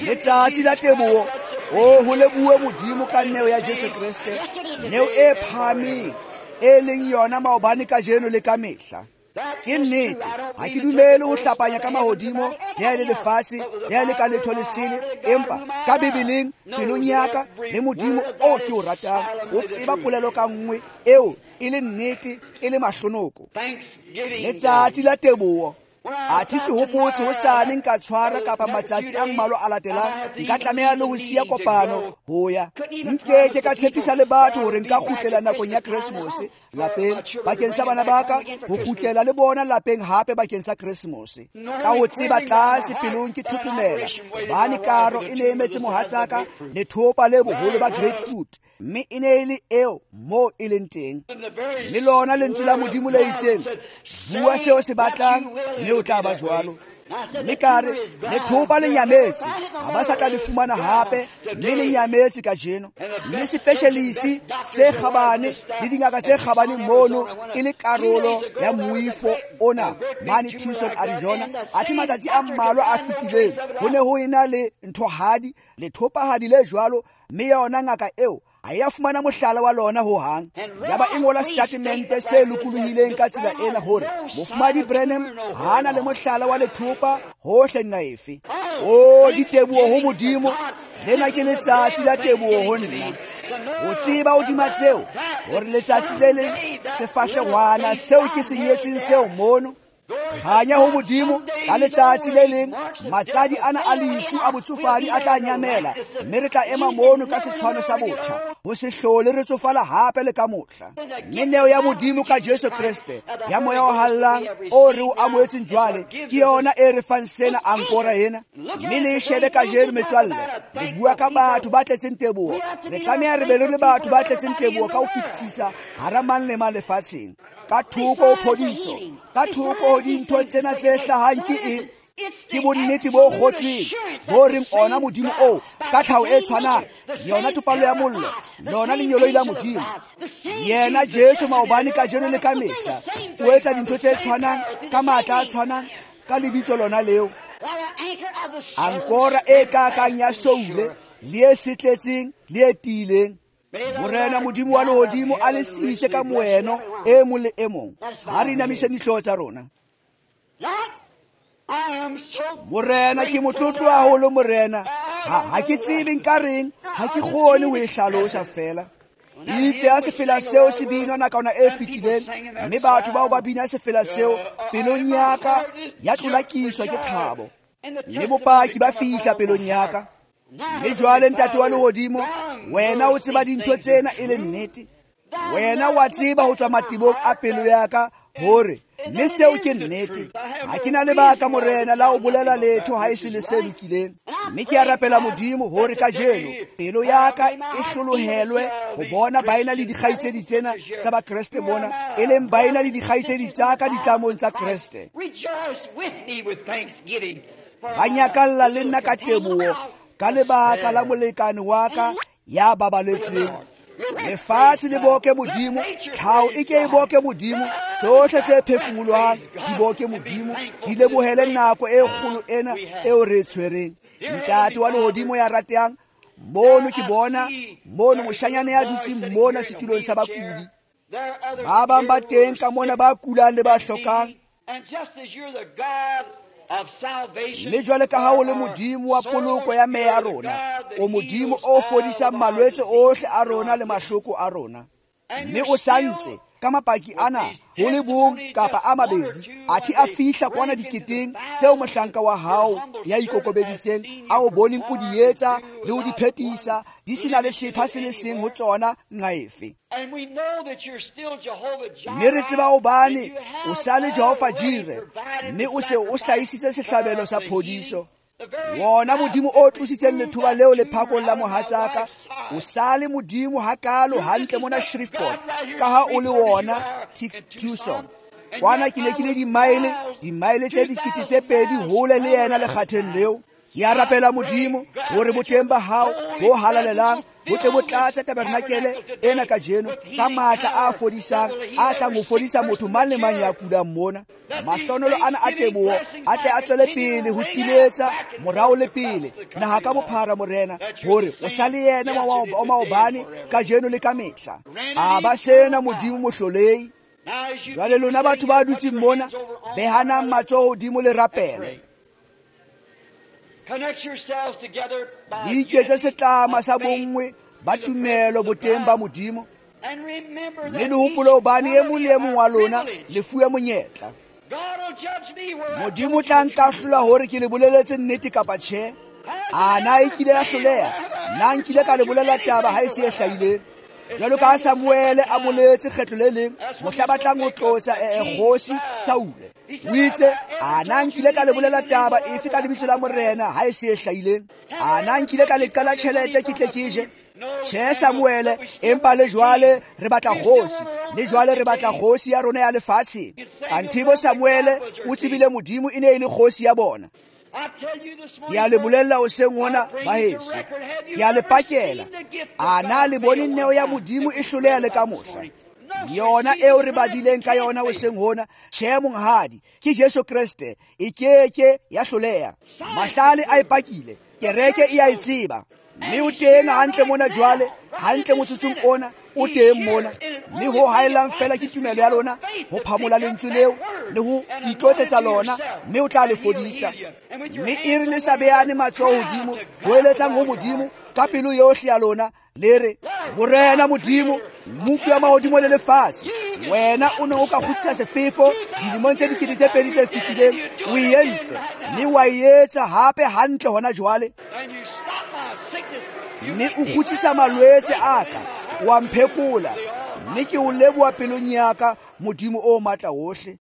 Letsatsi la teboho, o ho lebohe Modimo ka neo ya Jesu Kreste, neo e phahameng e leng yona maobane, kajeno le ka mehla. Ke nnete, ha ke dumele ho hlapanya ka mahodimo le ha e le lefatshe le ha e le ka letho lesele, empa ka Bibeleng pelong ya ka le Modimo o ke o ratang o tseba polelo ka nngwe eo e le nnete e le mahlonoko. Letsatsi la teboho. Athe ke hopotse hosane nka tshwara kapa matsatsi a mmalwa a latelang, nka tlameha le ho siya kopano ho ya. Nkeke ka tshepisa le batho hore nka kgutlela nakong ya Keresemose lapeng bakeng sa bana ba ka, ho kgutlela le bona lapeng hape bakeng sa Keresemose. Ka ho tseba tlase pelong ke thothomela, hobane karo e ne emetse mohatsaka lethopa le boholo ba grapefruit, mme e ne e le eo moo e leng teng. Mme lona lentswe la Modimo le itseng, bua seo se batlang mme o tla ba jwalo. Mme ka re, lethopa le nyametse, ha ba sa tla le fumana hape, mme le nyametse kajeno. Mme sepeshelisi se kgabane le dingaka tse kgabane mono e le karolo ya moifo ona mane Tucson, Arizona. Athe matsatsi a mmalwa a fetileng ho ne ho ena le nthohadi, lethopahadi le jwalo, mme yona ngaka eo ha e a fumana mohlala wa lona ho hang. Yaba e ngola setatemente se lokolohileng ka tsela ena hore Mofumahadi Branham ha na le mohlala wa lethopa hohle nqa efe. O diteboho ho Modimo, lena ke letsatsi la teboho ho nna. O tseba hodima tseo hore letsatsi le leng sefahlehwana seo ke se nyetseng seo mono. Kganya ho Modimo, ka letsatsi le leng matsadi ana a lefu a botsofadi a tla nyamela, mme re tla ema mono ka setshwano sa botjha, ho se hlole re tsofala hape le ka mohla. Mme neo ya Modimo ka Jesu Kreste ya moya o hallang o re o amohetseng jwale, ke yona e re fang sena ankora ena. Mme le e shebe kajeno metswalle, re bua ka batho ba tletseng teboho. Re tlameha re be le batho ba tletseng teboho ka ho fetisisa hara mang le mang lefatsheng. Ka thoko ho phodiso, ka thoko ho dintho tsena tse hlahang ke eng? Ke bonnete bo kgotsweng bo reng ona Modimo oo ka tlhaho e tshwanang, yona topallo ya mollo, lona lengeloi la Modimo, yena Jesu maobane, kajeno le ka mehla, o etsa dintho tse tshwanang ka matla a tshwanang ka lebitso lona leo. Ankora e kakang ya soule le e setletseng le e tiileng. Morena Modimo wa lehodimo a le sitse ka moeno e mong le e mong. Ha re inamiseng dihlooho tsa rona. Morena, ke motlotlo haholo Morena. Ha ke tsebe nka reng, ha ke kgone ho e hlalosa fela. Itse ha sefela seo se binwa nakwana e fetileng, mme batho bao ba bina sefela seo, pelong ya ka ya tlolakiswa ke thabo, mme bopaki ba fihla pelong ya ka. Mme jwale Ntate wa lehodimo, wena o tseba dintho tsena e le nnete. Wena wa tseba ho tswa matebong a pelo ya ka hore mme seo ke nnete. Ha ke na lebaka Morena la ho bolela letho ha e se le se lokileng. Mme ke a rapela Modimo hore kajeno pelo ya ka e hlolohelwe ho bona baena le dikgaitsedi tsena tsa Bakreste mona, e leng baena le dikgaitsedi tsa ka ditlamong tsa Kreste. Ba nyakalla le nna ka teboho ka lebaka la molekane wa ka ya babaletsweng. Lefatshe le boke Modimo, tlhaho e ke e boke Modimo, tsohle tse phefumolwang di boke Modimo, di lebohele nako e kgolo ena eo re e tshwereng. Ntate wa lehodimo ya ratehang, mono ke bona mono moshanyana ya dutseng mona setulong sa bakudi. Ba bang ba teng ka mona ba kulang le ba hlokang. Mme jwale ka ha o le Modimo wa poloko ya meya ya rona, o Modimo o fodisang malwetse ohle a rona le mahloko a rona. Mme o santse ka mapaki ana ho le bong kapa a mabedi, athe a fihla kwana diketeng tseo mohlanka wa hao ya ikokobeditseng a o boneng o di etsa le ho di phetisa, di sena le sepha se le seng ho tsona nqa efe. Mme re tseba hobane o sa le Jehova Jire, mme o se o hlahisitse sehlabelo sa phodiso. Wona Modimo o tlositseng lethoba leo lephakong la mohatsaka, o sa le Modimo hakalo hantle mona Shreveport, ka ha o le wona Tucson. Kwana ke ne ke le dimaele tse 2,000 hole le yena lekgatheng leo. Ke a rapela Modimo hore boteng ba hao bo halalelang bo tle bo tlatse tabernakele ena kajeno ka matla a fodisang, a tlang ho fodisa motho mang le mang ya kulang mona. Mahlonolo ana a teboho a tle a tswele pele ho timetsa morao le pele naha ka bophara Morena, hore o sa le yena wa maobane, kajeno le ka mehla. A ba sena Modimo mohlolei. Jwale lona batho ba dutseng mona, behanang matsoho hodimo le rapele. Le iketse setlama sa bonngwe ba tumelo boteng ba Modimo, mme le hopole hobane e mong le e mong wa lona le fuwe monyetla. Modimo tla nkahlola hore ke le boleletse nnete kapa tjhe. A na e kile ya hloleha? Na nkile ka le bolela taba ha e se e hlahileng? Jwalo ka Samuele a boletse kgetlo le leng mohla ba tlang ho tlotsa kgosi Saule, o itse, a na nkile ka le bolela taba efe ka lebitso la Morena ha e se e hlahileng? A na nkile ka le qala tjhelete ke tle ke je? Tjhe, Samuele, empa le jwale re batla kgosi, le jwale re batla kgosi ya rona ya lefatsheng. Kanthe bo Samuele o tsebile Modimo e ne e le kgosi ya bona. Ke a le bolella hoseng hona, baheso, ke a le pakela, a na le bone neo ya Modimo e hloleha le ka mohla? Yona eo re badileng ka yona hoseng hona, tjhe monghadi, ke Jesu Kreste, e keke ya hloleha. Mahlale a e pakile, kereke e a e tseba, mme o teng hantle mona jwale, hantle motsotsong ona, o teng mona. Mme ho haellang fela ke tumelo ya lona ho phamola lentswe leo le ho itlotsetsa lona, mme o tla le fodisa. Mme e re le sa beane matsoho hodimo, ho eletsang ho Modimo ka pelo yohle ya lona, le re, Morena Modimo, Mmopi wa mahodimo le lefatshe, wena o ne o ka kgutlisa sefefo dilemong tse 2000 tse fetileng, o e entse, mme wa e etsa hape hantle hona jwale. Mme o kgutlisa malwetse a ka, wa mphekola, mme ke o leboha pelong ya ka, Modimo o matla wohle.